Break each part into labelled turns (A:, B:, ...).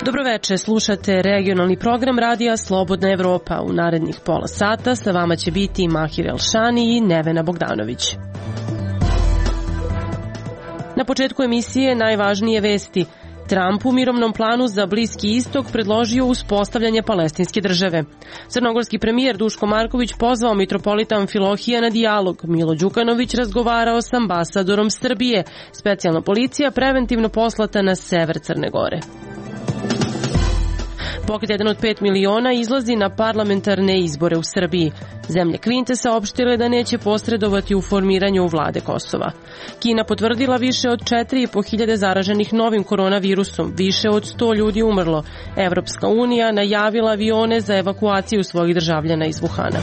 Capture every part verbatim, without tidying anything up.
A: Dobroveče, slušate regionalni program radija Slobodna Evropa. U narednih pola sata sa vama će biti Mahir Elšani i Nevena Bogdanović. Na početku emisije najvažnije vesti. Trump u mirovnom planu za Bliski istok predložio uspostavljanje palestinske države. Crnogorski premijer Duško Marković pozvao mitropolita Amfilohija na dijalog. Milo Đukanović razgovarao s ambasadorom Srbije. Specijalna policija preventivno poslata na sever Crne Gore. Pokret jedan od pet miliona izlazi na parlamentarne izbore u Srbiji. Zemlje Kvinte saopštile da neće posredovati u formiranju vlade Kosova. Kina potvrdila više od četiri i po hiljade zaraženih novim koronavirusom, više od sto ljudi umrlo. Evropska unija najavila avione za evakuaciju svojih državljana iz Vuhana.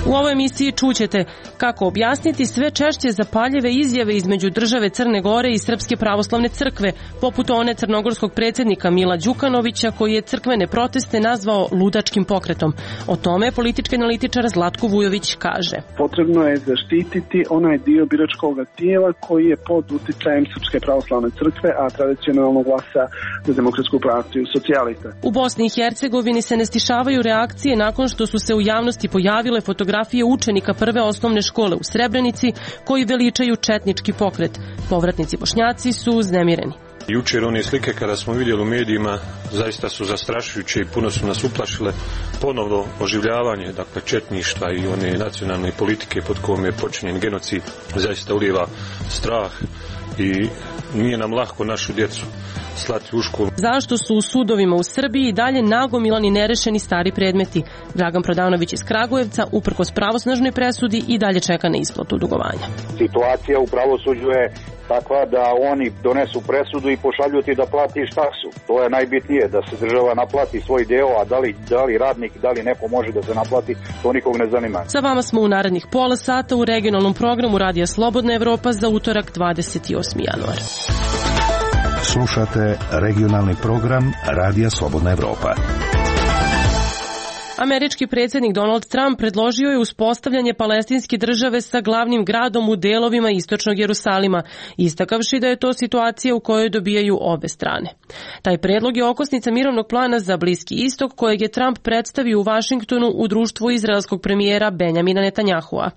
A: U ovoj emisiji čućete kako objasniti sve češće zapaljive izjave između države Crne Gore i Srpske pravoslavne crkve, poput one crnogorskog predsjednika Mila Đukanovića koji je crkvene proteste nazvao ludačkim pokretom. O tome politički analitičar Zlatko Vujović kaže.
B: Potrebno je zaštititi onaj dio biračkog tijela koji je pod uticajem Srpske pravoslavne crkve, a tradicionalno glasa za Demokratsku partiju socijalista.
A: U Bosni i Hercegovini se ne stišavaju reakcije nakon što su se u javnosti pojavile fotografije učenika prve osnovne škole u Srebrenici koji veličaju četnički pokret. Povratnici Bošnjaci su uznemireni.
C: Jučer one slike kada smo vidjeli u medijima zaista su zastrašujuće i puno su nas uplašile. Ponovno oživljavanje, dakle, četništva i one nacionalne politike pod kojom je počinjen genocid zaista ulijeva strah i nije nam lako našu djecu slati u školu.
A: Zašto su u sudovima u Srbiji i dalje nagomilani nerešeni stari predmeti? Dragan Prodanović iz Kragujevca, uprkos pravosnažnoj presudi, i dalje čeka na isplatu dugovanja.
D: Situacija u pravosuđu je takva da oni donesu presudu i pošalju ti da platiš taksu. To je najbitnije, da se država naplati svoj deo, a da li, da li radnik, da li neko može da se naplati, to nikog ne zanima.
A: Sa vama smo u narednih pola sata u regionalnom programu Radija Slobodna Evropa za utorak dvadeset osmi januar.
E: Slušate regionalni program Radija Slobodna Evropa.
A: Američki predsjednik Donald Trump predložio je uspostavljanje palestinske države sa glavnim gradom u delovima istočnog Jerusalima, istakavši da je to situacija u kojoj dobijaju obe strane. Taj predlog je okosnica mirovnog plana za Bliski istok kojeg je Trump predstavio u Vašingtonu u društvu izraelskog premijera Benjamina Netanjahua.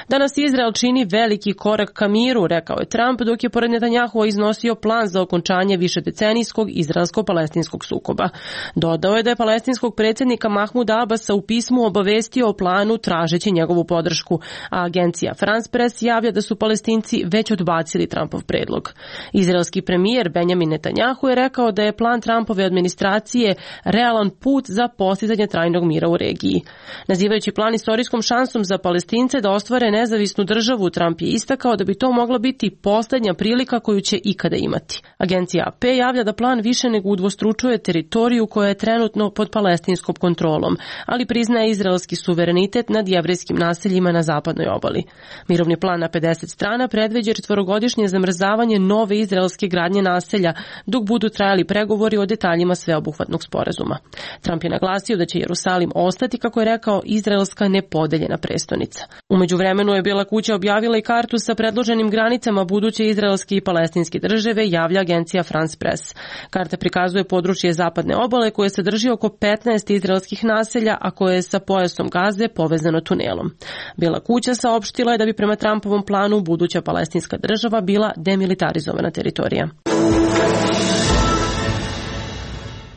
A: Danas Izrael čini veliki korak ka miru, rekao je Trump, dok je pored Netanjahua iznosio plan za okončanje višedecenijskog izraelsko-palestinskog sukoba. Dodao je da je palestinskog predsjednika Mahmuda Abasa u pismu obavestio o planu tražeći njegovu podršku, a agencija France Press javlja da su Palestinci već odbacili Trumpov predlog. Izraelski premijer Benjamin Netanjahu je rekao da je plan Trumpove administracije realan put za postizanje trajnog mira u regiji. Nazivajući plan istorijskom šansom za Palestince da ostvare nezavisnu državu, Trump je istakao da bi to mogla biti posljednja prilika koju će ikada imati. Agencija A P javlja da plan više nego udvostručuje teritoriju koja je trenutno pod palestinskom kontrolom, ali priznaje izraelski suverenitet nad jevrejskim naseljima na zapadnoj obali. Mirovni plan na pedeset strana predviđa četvorogodišnje zamrzavanje nove izraelske gradnje naselja dok budu trajali pregovori o detaljima sveobuhvatnog sporazuma. Trump je naglasio da će Jerusalim ostati, kako je rekao, izraelska nepodeljena prestonica. U međuvremenu je Bijela kuća objavila i kartu sa predloženim granicama buduće izraelske i palestinske države, javlja agencija France Press. Karta prikazuje područje zapadne obale koje sadrži oko petnaest izraelskih naselja, a koje je sa pojasom Gaze povezano tunelom. Bijela kuća saopštila je da bi prema Trumpovom planu buduća palestinska država bila demilitarizovana teritorija.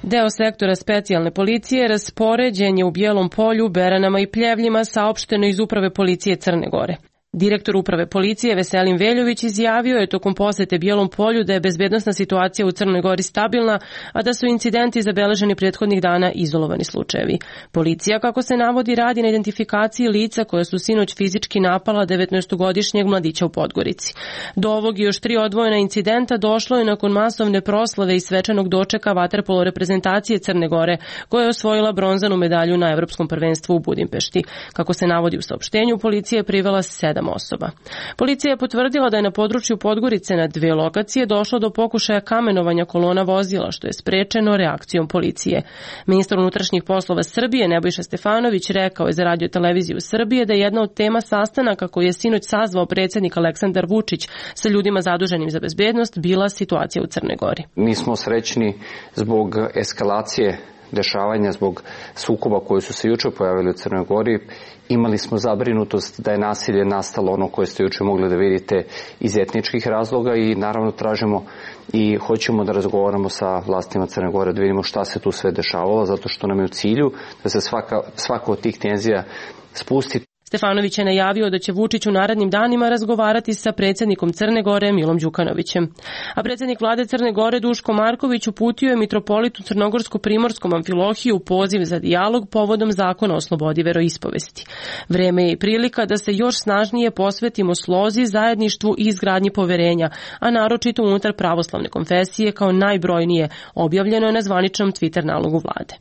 A: Deo sektora specijalne policije raspoređen je u Bijelom Polju, Beranama i Pljevljima, saopšteno iz Uprave policije Crne Gore. Direktor Uprave policije Veselin Veljović izjavio je tokom posete Bijelom Polju da je bezbednosna situacija u Crnoj Gori stabilna, a da su incidenti zabeleženi prethodnih dana izolovani slučajevi. Policija, kako se navodi, radi na identifikaciji lica koja su sinoć fizički napala devetnaestogodišnjeg mladića u Podgorici. Do ovog i još tri odvojena incidenta došlo je nakon masovne proslave i svečanog dočeka vaterpolo reprezentacije Crne Gore, koja je osvojila bronzanu medalju na Evropskom prvenstvu u Budimpešti. Kako se navodi u saopštenju, policija je privela sedam sedam osoba. Policija je potvrdila da je na području Podgorice na dve lokacije došlo do pokušaja kamenovanja kolona vozila, što je sprečeno reakcijom policije. Ministar unutrašnjih poslova Srbije Nebojša Stefanović rekao je za Radio televiziju Srbije da je jedna od tema sastanaka koji je sinoć sazvao predsjednik Aleksandar Vučić sa ljudima zaduženim za bezbednost bila situacija u Crnoj Gori.
F: Nismo srećni zbog eskalacije dešavanja, zbog sukoba koji su se juče pojavili u Crnoj Gori. Imali smo zabrinutost da je nasilje nastalo ono koje ste juče mogli da vidite iz etničkih razloga i naravno tražimo i hoćemo da razgovaramo sa vlastima Crne Gore, da vidimo šta se tu sve dešavalo, zato što nam je u cilju da se svaka, svaka od tih tenzija spusti.
A: Stefanović je najavio da će Vučić u narednim danima razgovarati sa predsjednikom Crne Gore Milom Đukanovićem. A predsjednik vlade Crne Gore Duško Marković uputio je mitropolitu Crnogorsko-Primorskom Amfilohiju poziv za dijalog povodom zakona o slobodi veroispovesti. Vreme je i prilika da se još snažnije posvetimo slozi, zajedništvu i izgradnji poverenja, a naročito unutar pravoslavne konfesije kao najbrojnije, objavljeno je na zvaničnom Twitter nalogu vlade.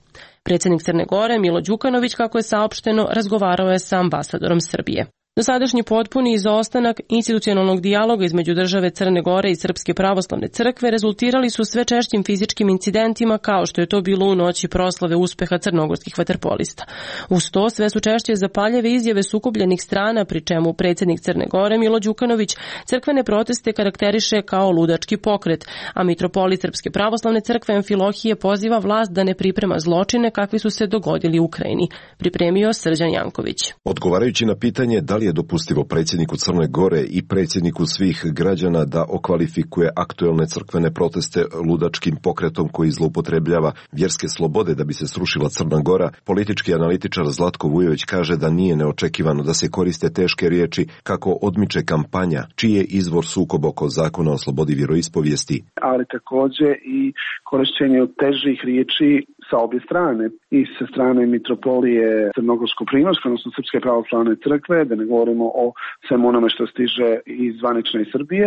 A: Predsjednik Crne Gore Milo Đukanović, kako je saopšteno, razgovarao je sa ambasadorom Srbije. Dosadašnji potpuni izostanak institucionalnog dijaloga između države Crne Gore i Srpske pravoslavne crkve rezultirali su sve češćim fizičkim incidentima, kao što je to bilo u noći proslave uspeha crnogorskih vaterpolista. Uz to sve su češće zapaljeve izjave sukobljenih strana, pri čemu predsjednik Crne Gore Milo Đukanović crkvene proteste karakteriše kao ludački pokret, a mitropolit Srpske pravoslavne crkve Amfilohije poziva vlast da ne priprema zločine kakvi su se dogodili u Ukrajini. Pripremio Srđan Janković.
G: Odgovarajući na pitanje da li je dopustivo predsjedniku Crne Gore i predsjedniku svih građana da okvalifikuje aktuelne crkvene proteste ludačkim pokretom koji zloupotrebljava vjerske slobode da bi se srušila Crna Gora, politički analitičar Zlatko Vujović kaže da nije neočekivano da se koriste teške riječi kako odmiče kampanja, čiji je izvor sukob oko zakona o slobodi vjeroispovijesti.
B: Ali također i korišćenje težih riječi sa obje strane, i sa strane mitropolije Crnogorsko-Primorske, odnosno Srpske pravoslavne crkve, da ne govorimo o svemu onome što stiže iz zvanične Srbije,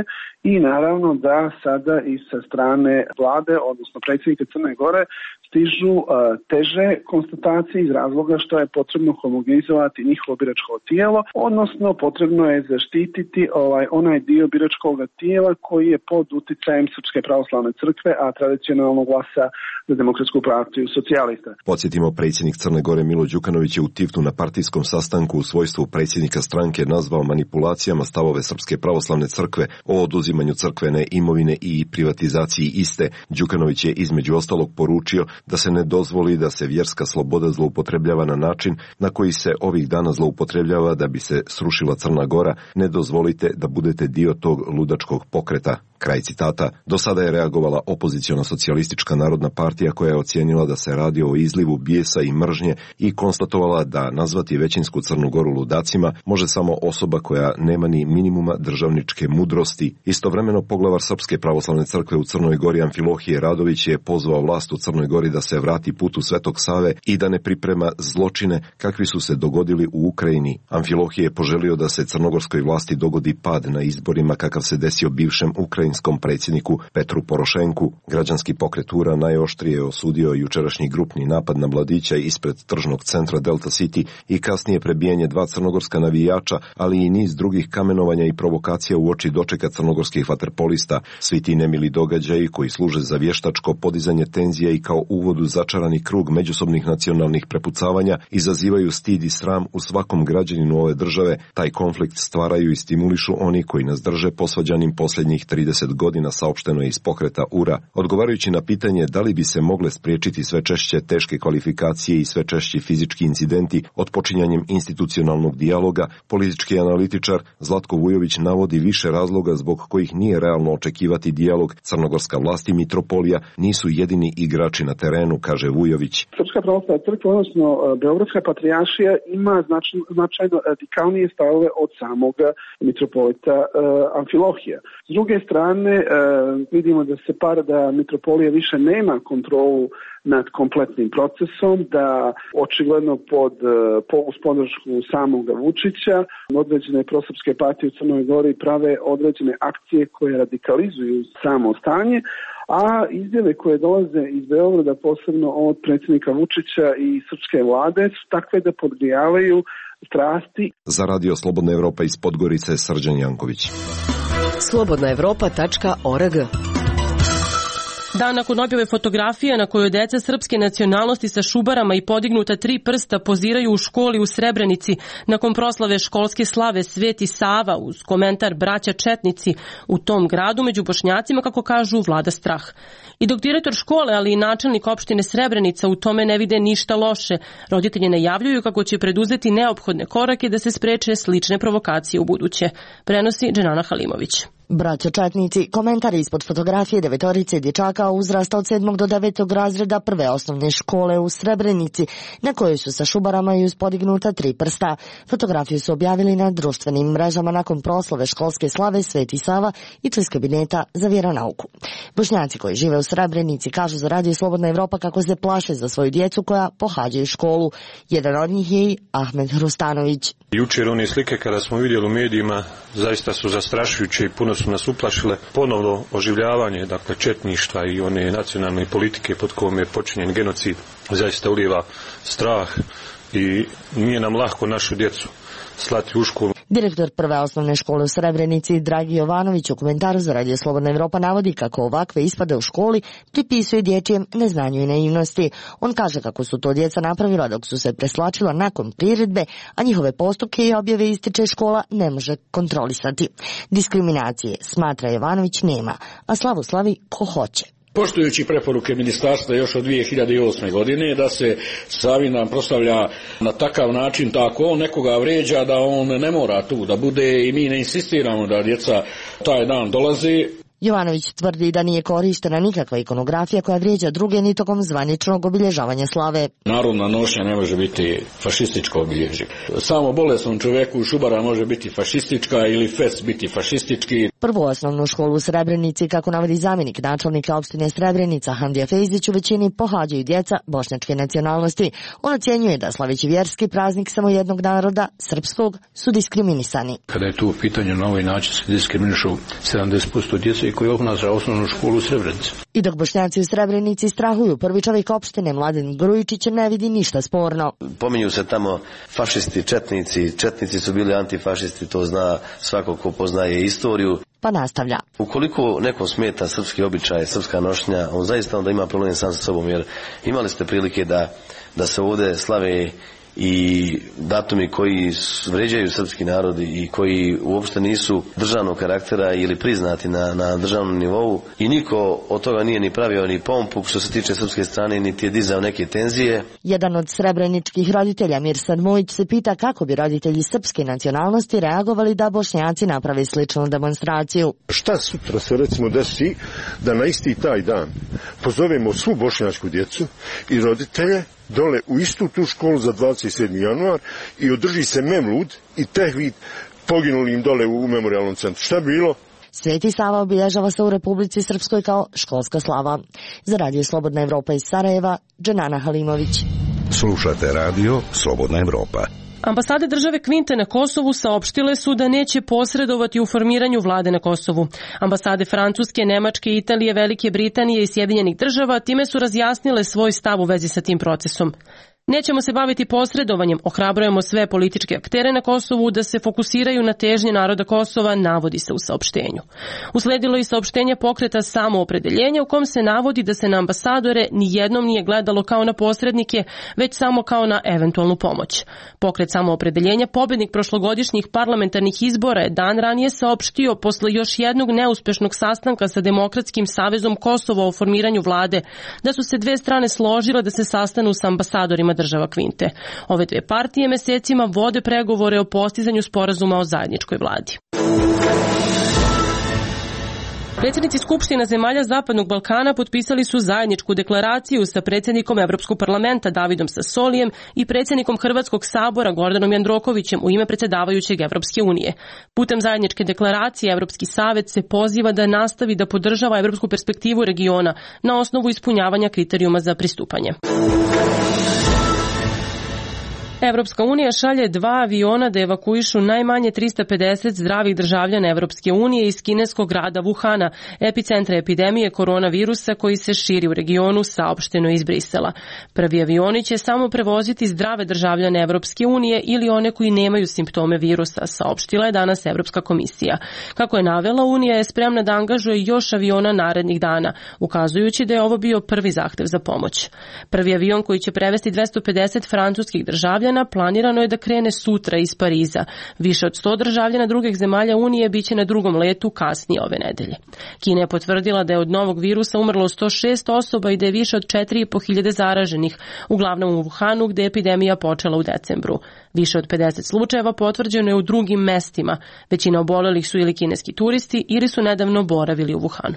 B: i naravno da sada i sa strane vlade, odnosno predsjednika Crne Gore, stižu uh, teže konstatacije iz razloga što je potrebno homogenizovati njihovo biračko tijelo, odnosno potrebno je zaštititi ovaj onaj dio biračkog tijela koji je pod uticajem Srpske pravoslavne crkve, a tradicionalno glasa za Demokratsku partiju socijalista.
G: Podsjetimo, predsjednik Crne Gore Milo Đukanović je u Tivnu na partijskom sastanku u svojstvu predsjednika stranke nazvao manipulacijama stavove Srpske pravoslavne crkve o oduzimanju crkvene imovine i privatizaciji iste. Đukanović je između ostalog poručio da se ne dozvoli da se vjerska sloboda zloupotrebljava na način na koji se ovih dana zloupotrebljava da bi se srušila Crna Gora. Ne dozvolite da budete dio tog ludačkog pokreta. Kraj citata. Do sada je reagovala opoziciona socijalistička narodna partija koja je ocijenila da se radi o izlivu bijesa i mržnje i konstatovala da nazvati većinsku Crnu Goru ludacima može samo osoba koja nema ni minimuma državničke mudrosti. Istovremeno poglavar Srpske pravoslavne crkve u Crnoj Gori Amfilohije Radović je pozvao vlast u Crnoj Gori da se vrati putu Svetog Save i da ne priprema zločine kakvi su se dogodili u Ukrajini. Amfilohije je poželio da se crnogorskoj vlasti dogodi pad na izborima kakav se desio bivšem ukrajinskom predsjedniku Petru Porošenku. Građanski pokret U R A najoštrije je osudio jučerašnji grupni napad na mladića ispred tržnog centra Delta City i kasnije prebijanje dva crnogorska navijača, ali i niz drugih kamenovanja i provokacija u oči dočeka crnogorskih vaterpolista. Svi ti nemili događaji koji služe za vještačko podizanje tenzija i kao uvod u začarani krug međusobnih nacionalnih prepucavanja izazivaju stid i sram u svakom građaninu ove države. Taj konflikt stvaraju i stimulišu oni koji nas drže posvađanim posljednjih trideset godina, saopšteno je iz pokreta U R A. Odgovarajući na pitanje da li bi se mogle spriječiti sve češće teške kvalifikacije i sve češći fizički incidenti odpočinjanjem institucionalnog dijaloga, politički analitičar Zlatko Vujović navodi više razloga zbog kojih nije realno očekivati dijalog. Crnogorska vlast i mitropolija nisu jedini igrači na terenu, kaže Vujović.
B: Srpska pravoslavna crkva, odnosno Beogradska patrijaršija, ima značajno, značajno radikalnije stavove od samog mitropolita uh, Amfilohija. S druge strane, uh, vidimo da se par da mitropolija više nema kontrolu nad kompletnim procesom, da očigledno pod, po, uz podršku samog Vučića određene prosrpske partije u Crnoj Gori prave određene akcije koje radikalizuju samo stanje, a izjave koje dolaze iz Beograda, posebno od predsjednika Vučića i srpske vlade, su takve da podgrijavaju strasti.
G: Za Radio Slobodna Evropa iz Podgorice, Srđan Janković.
H: slobodna evropa tačka org.
A: Dan nakon objave fotografije na kojoj deca srpske nacionalnosti sa šubarama i podignuta tri prsta poziraju u školi u Srebrenici nakon proslave školske slave Sveti Sava uz komentar braća četnici u tom gradu među Bošnjacima, kako kažu, vlada strah. I dok direktor škole, ali i načelnik opštine Srebrenica u tome ne vide ništa loše, roditelji najavljuju kako će preduzeti neophodne korake da se spreče slične provokacije u buduće. Prenosi Dženana Halimović.
I: Braća četnici, komentari ispod fotografije devetorice dječaka uzrasta od sedmog do devetog razreda prve osnovne škole u Srebrenici, na kojoj su sa šubarama i uz podignuta tri prsta. Fotografiju su objavili na društvenim mrežama nakon proslave školske slave Sveti Sava i iz kabineta za vjeronauku. Bošnjaci koji žive u Srebrenici kažu za Radio Slobodna Evropa kako se plaše za svoju djecu koja pohađaju školu. Jedan od njih je i Ahmed Hrustanović.
C: Jučer one slike kada smo vidjeli u medijima zaista su zastrašujuće i puno su nas uplašile. Ponovno oživljavanje, dakle, četništva i one nacionalne politike pod kojom je počinjen genocid zaista ulijeva strah i nije nam lako našu djecu slati u školu.
I: Direktor prve osnovne škole u Srebrenici Dragi Jovanović u komentaru za Radio Slobodna Evropa navodi kako ovakve ispade u školi pripisuje dječjem neznanju i naivnosti. On kaže kako su to djeca napravila dok su se preslačila nakon priredbe, a njihove postupke i objave ističe škola ne može kontrolisati. Diskriminacije, smatra Jovanović, nema, a slavu slavi ko hoće.
J: Poštujući preporuke ministarstva još od dvije hiljade osme. godine da se Savin proslavlja na takav način, tako on nekoga vrijeđa da on ne mora tu da bude i mi ne insistiramo da djeca taj dan dolaze.
I: Jovanović tvrdi da nije korištena nikakva ikonografija koja vrijeđa druge ni tokom zvaničnog obilježavanja slave.
J: Narodna nošnja ne može biti fašističko obilježje. Samo bolesnom čovjeku u šubara može biti fašistička ili fest biti fašistički.
I: Prvu osnovnu školu u Srebrenici, kako navodi zamjenik načelnika opštine Srebrenica Handija Fejzić, u većini pohađaju djeca bošnjačke nacionalnosti. On ocjenjuje da slaveći vjerski praznik samo jednog naroda, srpskog, su diskriminisani.
K: Kada je tu u pitanju na ovaj način se diskriminišu sedamdeset posto djece koji obnaša osnovnu školu u Srebrenici.
I: I dok Bošnjaci u Srebrenici strahuju, prvi čovjek opštine Mladen Grujičić ne vidi ništa sporno.
L: Pominju se tamo fašisti, četnici, četnici su bili antifašisti, to zna svako ko poznaje istoriju.
I: Pa nastavlja.
L: Ukoliko neko smeta srpski običaj, srpska nošnja, on zaista onda ima problem sam sa sobom, jer imali ste prilike da, da se ovdje slave i datumi koji vređaju srpski narod i koji uopšte nisu državnog karaktera ili priznati na, na državnom nivou i niko od toga nije ni pravio ni pompu što se tiče srpske strane, niti je dizao neke tenzije.
I: Jedan od srebreničkih roditelja, Mirsan Mujić, se pita kako bi roditelji srpske nacionalnosti reagovali da Bošnjaci naprave sličnu demonstraciju.
M: Šta sutra se recimo desi da na isti taj dan pozovemo svu bošnjačku djecu i roditelje dole u istu tu školu za dvadeset sedmi januar i održi se memlud i tehvid poginulim dole u memorijalnom centru. Šta bi bilo?
I: Sveti Sava obilježava se u Republici Srpskoj kao školska slava. Za Radio Slobodna Evropa iz Sarajeva, Dženana Halimović.
E: Slušate Radio Slobodna Evropa.
A: Ambasade države Kvinte na Kosovu saopštile su da neće posredovati u formiranju vlade na Kosovu. Ambasade Francuske, Nemačke, Italije, Velike Britanije i Sjedinjenih država time su razjasnile svoj stav u vezi sa tim procesom. Nećemo se baviti posredovanjem, ohrabrujemo sve političke aktere na Kosovu da se fokusiraju na težnje naroda Kosova, navodi se u saopštenju. Usledilo i saopštenje pokreta Samoopredeljenja u kom se navodi da se na ambasadore nijednom nije gledalo kao na posrednike, već samo kao na eventualnu pomoć. Pokret Samoopredeljenja, pobednik prošlogodišnjih parlamentarnih izbora, je dan ranije saopštio posle još jednog neuspešnog sastanka sa Demokratskim savezom Kosova o formiranju vlade, da su se dve strane složile da se sastanu sa ambasadorima država Kvinte. Ove dve partije mesecima vode pregovore o postizanju sporazuma o zajedničkoj vladi. Predsjednici Skupština zemalja Zapadnog Balkana potpisali su zajedničku deklaraciju sa predsjednikom Evropskog parlamenta Davidom Sassolijem i predsjednikom Hrvatskog sabora Gordanom Jandrokovićem u ime predsjedavajućeg Evropske unije. Putem zajedničke deklaracije Evropski savet se poziva da nastavi da podržava evropsku perspektivu regiona na osnovu ispunjavanja kriterijuma za pristupanje. Evropska unija šalje dva aviona da evakuišu najmanje trista pedeset zdravih državljana Evropske unije iz kineskog grada Wuhana, epicentra epidemije koronavirusa koji se širi u regionu, saopšteno iz Brisela. Prvi avioni će samo prevoziti zdrave državljane Evropske unije ili one koji nemaju simptome virusa, saopštila je danas Evropska komisija. Kako je navela, Unija je spremna da angažuje još aviona narednih dana, ukazujući da je ovo bio prvi zahtev za pomoć. Prvi avion koji će prevesti dvesta pedeset francuskih državljana planirano je da krene sutra iz Pariza. Više od sto državljana drugih zemalja Unije biće na drugom letu kasnije ove nedelje. Kina je potvrdila da je od novog virusa umrlo sto šest osoba i da je više od četiri i po hiljade zaraženih, uglavnom u Wuhanu gde je epidemija počela u decembru. Više od pedeset slučajeva potvrđeno je u drugim mestima. Većina obolelih su ili kineski turisti ili su nedavno boravili u Wuhanu.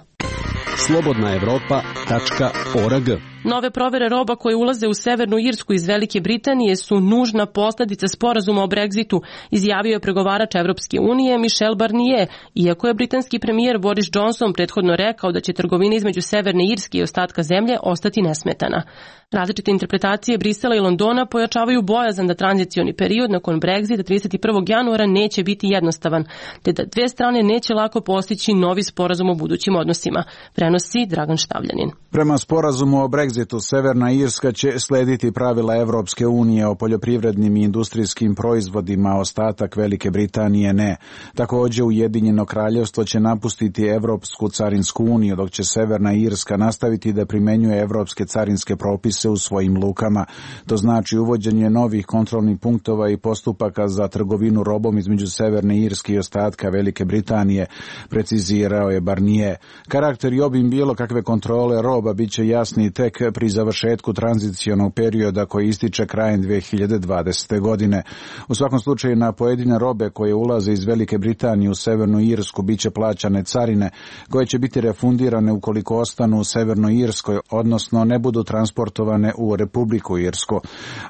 N: slobodna evropa tačka org.
A: Nove provere roba koje ulaze u Severnu Irsku iz Velike Britanije su nužna posledica sporazuma o Brexitu, izjavio je pregovarač Evropske unije Michel Barnier, iako je britanski premijer Boris Johnson prethodno rekao da će trgovina između Severne Irske i ostatka zemlje ostati nesmetana. Različite interpretacije Brisela i Londona pojačavaju bojazan da tranzicioni period nakon Brexita trideset prvog januara neće biti jednostavan, te da dve strane neće lako postići novi sporazum o budućim odnosima, prenosi Dragan Štavljanin.
O: Prema sporazumu o Brexitu, Severna Irska će slediti pravila Evropske unije o poljoprivrednim i industrijskim proizvodima, ostatak Velike Britanije ne. Takođe, Ujedinjeno kraljevstvo će napustiti Evropsku carinsku uniju, dok će Severna Irska nastaviti da primenjuje evropske carinske propise u svojim lukama. To znači uvođenje novih kontrolnih punktova i postupaka za trgovinu robom između Severne Irske i ostatka Velike Britanije, precizirao je Barnier. Karakter i obim bilo kakve kontrole roba biće jasni tek pri završetku tranzicionog perioda koji ističe krajem dve hiljade dvadesete. godine. U svakom slučaju na pojedine robe koje ulaze iz Velike Britanije u Severnu Irsku biće plaćane carine koje će biti refundirane ukoliko ostanu u Severnoj Irskoj, odnosno ne budu transportovane u Republiku Irsku.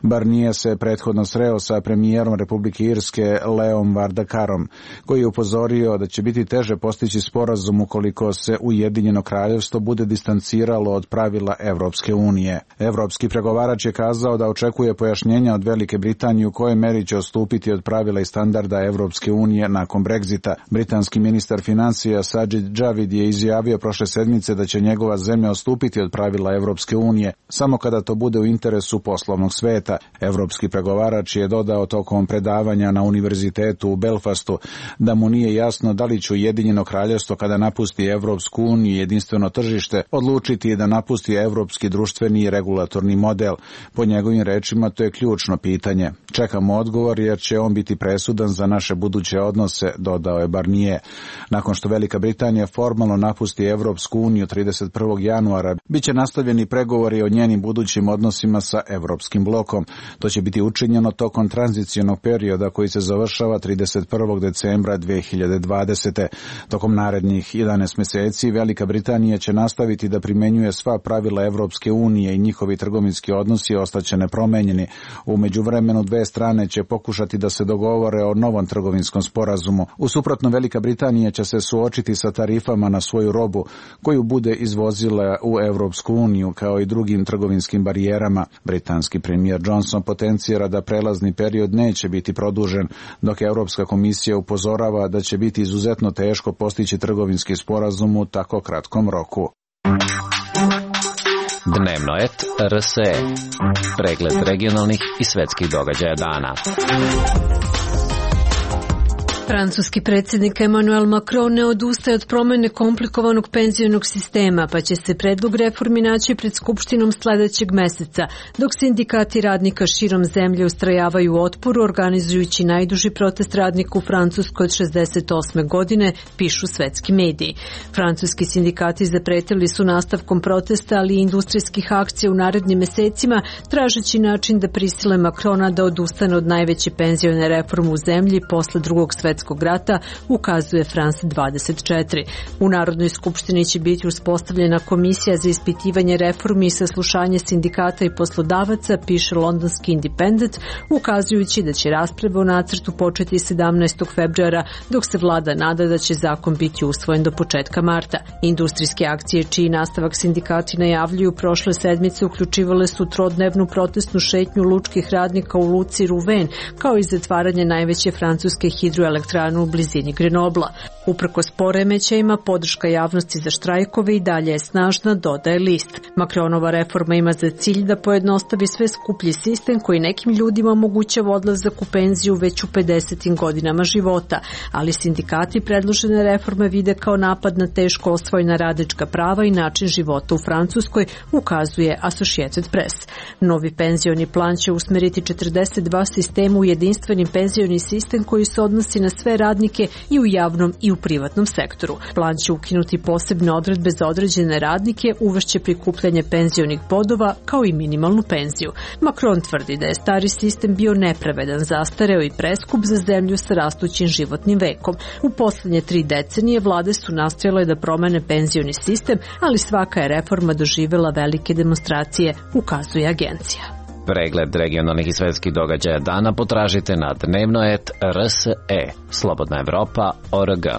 O: Barnier se prethodno sreo sa premijerom Republike Irske Leom Vardakarom, koji je upozorio da će biti teže postići sporazum ukoliko se Ujedinjeno kraljevstvo bude distanciralo od pravila Evropske unije. Evropski pregovarač je kazao da očekuje pojašnjenja od Velike Britanije u kojoj meri će odstupiti od pravila i standarda Evropske unije nakon Brexita. Britanski ministar financija Sajid Javid je izjavio prošle sedmice da će njegova zemlja odstupiti od pravila Evropske unije samo kada to bude u interesu poslovnog sveta. Evropski pregovarač je dodao tokom predavanja na univerzitetu u Belfastu da mu nije jasno da li će Ujedinjeno kraljevstvo kada napusti Evropsku uniju i jedinstveno tržište odlučiti da napusti evropski društveni i regulatorni model. Po njegovim rečima to je ključno pitanje. Čekamo odgovor jer će on biti presudan za naše buduće odnose, dodao je Barnier. Nakon što Velika Britanija formalno napusti Evropsku uniju trideset prvog januara, biće nastavljeni pregovori o njenim budućim odnosima sa Evropskim blokom. To će biti učinjeno tokom tranzicionog perioda koji se završava trideset prvog decembra dve hiljade dvadesete. Tokom narednih jedanaest meseci Velika Britanija će nastaviti da primenjuje sva pravila Evropske unije i njihovi trgovinski odnosi ostaće nepromenjeni. U međuvremenu dve strane će pokušati da se dogovore o novom trgovinskom sporazumu. U suprotno, Velika Britanija će se suočiti sa tarifama na svoju robu koju bude izvozila u Evropsku uniju kao i drugim trgovinskim barijerama. Britanski premijer Johnson potencira da prelazni period neće biti produžen, dok Evropska komisija upozorava da će biti izuzetno teško postići trgovinski sporazum u tako kratkom roku.
P: Dnevno et R S E. Pregled regionalnih i svetskih događaja dana.
Q: Francuski predsjednik Emmanuel Macron ne odustaje od promjene komplikovanog penzionog sistema, pa će se predlog reformi naći pred Skupštinom sljedećeg meseca, dok sindikati radnika širom zemlje ustrajavaju u otporu, organizujući najduži protest radnika u Francuskoj od šezdeset osme. godine, pišu svetski mediji. Francuski sindikati zapretili su nastavkom protesta, ali i industrijskih akcija u narednim mesecima, tražeći način da prisile Macrona da odustane od najveće penzione reforme u zemlji posle drugog svetskog svetskog rata, ukazuje France dvadeset četiri. U Narodnoj skupštini će biti uspostavljena komisija za ispitivanje reformi i saslušanje sindikata i poslodavaca, piše londonski Independent, ukazujući da će rasprave o nacrtu početi sedamnaestog februara, dok se vlada nada da će zakon biti usvojen do početka marta. Industrijske akcije čiji nastavak sindikati najavljuju prošle sedmice uključivale su trodnevnu protestnu šetnju lučkih radnika u luci Rouvain, kao i zatvaranje najveće francuske hidroelektrane u blizini Grenobla. Uprkos poremećajima, podrška javnosti za štrajkove i dalje je snažna, dodaje list. Macronova reforma ima za cilj da pojednostavi sve skuplji sistem koji nekim ljudima omogućava odlazak u penziju već u pedesetim godinama života, ali sindikati predložene reforme vide kao napad na teško osvojena radnička prava i način života u Francuskoj, ukazuje Associated Press. Novi penzioni plan će usmeriti četrdeset dva sistema u jedinstveni penzioni sistem koji se odnosi na sve radnike i u javnom i u privatnom sektoru. Plan će ukinuti posebne odredbe za određene radnike, uvešće prikupljanje penzionih bodova kao i minimalnu penziju. Macron tvrdi da je stari sistem bio nepravedan, zastareo i preskup za zemlju sa rastućim životnim vekom. U poslednje tri decenije vlade su nastojale da promene penzioni sistem, ali svaka je reforma doživela velike demonstracije, ukazuje agencija.
P: Pregled regionalnih i svetskih događaja dana potražite na dnevnoet R S E, Slobodna Evropa, O R G.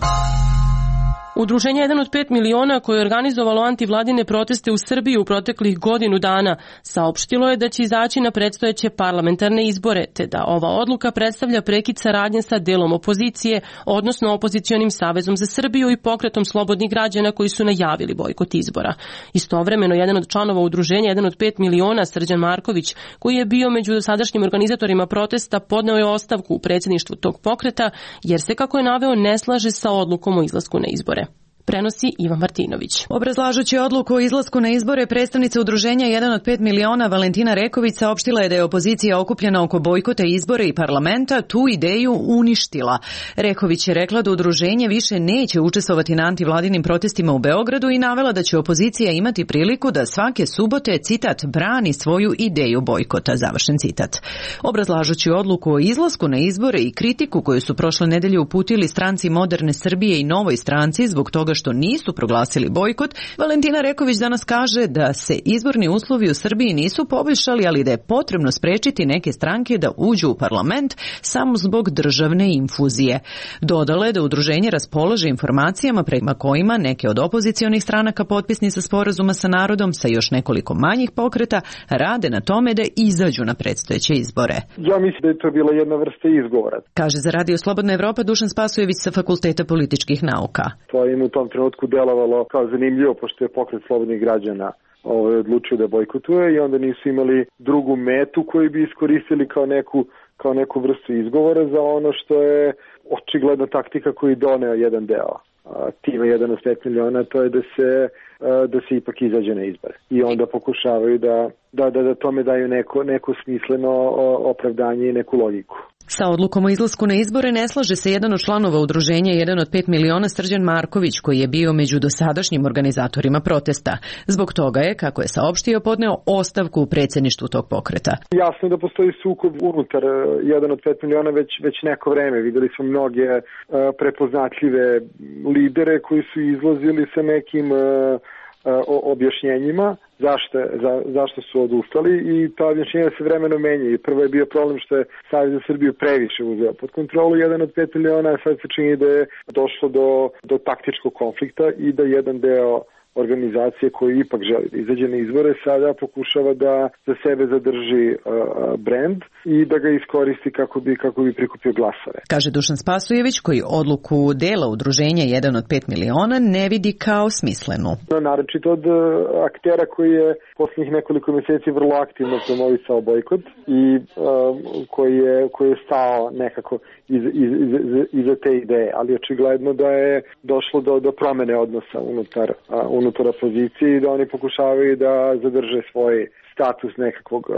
A: Udruženje jedan od pet miliona koje je organizovalo antivladine proteste u Srbiji u proteklih godinu dana saopštilo je da će izaći na predstojeće parlamentarne izbore, te da ova odluka predstavlja prekid saradnje sa delom opozicije, odnosno opozicionim Savezom za Srbiju i pokretom slobodnih građana koji su najavili bojkot izbora. Istovremeno, jedan od članova udruženja jedan od pet miliona, Srđan Marković, koji je bio među dosadašnjim organizatorima protesta, podneo je ostavku u predsjedništvu tog pokreta, jer se, kako je naveo, ne slaže sa odlukom o izlasku na izbore. Prenosi Ivan Martinović.
R: Obrazlažući odluku o izlasku na izbore, predstavnica udruženja jedan od pet miliona Valentina Reković saopštila je da je opozicija okupljena oko bojkota izbora i parlamenta tu ideju uništila. Reković je rekla da udruženje više neće učestvovati na antivladinim protestima u Beogradu i navela da će opozicija imati priliku da svake subote, citat, brani svoju ideju bojkota, završen citat. Obrazlažući odluku o izlasku na izbore i kritiku koju su prošle nedelje uputili stranci Moderne Srbije i Novoj stranci zbog toga što nisu proglasili bojkot, Valentina Reković danas kaže da se izborni uslovi u Srbiji nisu poboljšali, ali da je potrebno sprečiti neke stranke da uđu u parlament samo zbog državne infuzije. Dodala je da udruženje raspolaže informacijama prema kojima neke od opozicionih stranaka potpisnica sporazuma sa narodom sa još nekoliko manjih pokreta rade na tome da izađu na predstojeće izbore.
S: Ja mislim da je to bila jedna vrsta izgovora.
R: Kaže za Radio Slobodna Evropa Dušan Spasojević sa Fakulteta političkih nauka.
S: To im u tom trenutku delovalo kao zanimljivo, pošto je pokret slobodnih građana ovaj, odlučio da bojkotuje i onda nisu imali drugu metu koju bi iskoristili kao neku, kao neku vrstu izgovora za ono što je očigledna taktika koju doneo jedan deo tima jedan od pet miliona, to je da se, da se ipak izađe na izbore. I onda pokušavaju da, da, da, da tome daju neko, neko smisleno opravdanje i neku logiku.
R: Sa odlukom o izlasku na izbore ne slaže se jedan od članova udruženja jedan od pet miliona, Srđan Marković, koji je bio među dosadašnjim organizatorima protesta. Zbog toga je, kako je saopštio, podneo ostavku u predsjedništvu tog pokreta.
S: Jasno je da postoji sukob unutar jedan od pet miliona već, već neko vreme. Videli smo mnoge uh, prepoznatljive lidere koji su izlazili sa nekim uh, objašnjenjima zašto, za, zašto su odustali i ta objašnjenja se vremeno menjaju. Prvo je bio problem što je Savez za Srbiju previše uzeo pod kontrolu jedan od pet miliona, a sad se čini da je došlo do, do taktičkog konflikta i da jedan deo organizacije koji ipak želi da izađe na izbore sada pokušava da za sebe zadrži uh, brend i da ga iskoristi kako bi, kako bi prikupio glasove.
R: Kaže Dušan Spasojević, koji odluku dela udruženja jedan od pet miliona ne vidi kao smislenu.
S: Naročito od uh, aktera koji je posljednjih nekoliko mjeseci vrlo aktivno promovisao bojkot i uh, koji, je, koji je stao nekako iz, iz, iz, iza te ideje, ali očigledno da je došlo do, do promene odnosa unutar, uh, unutar opozicije i da oni pokušavaju da zadrže svoj status nekakvog uh,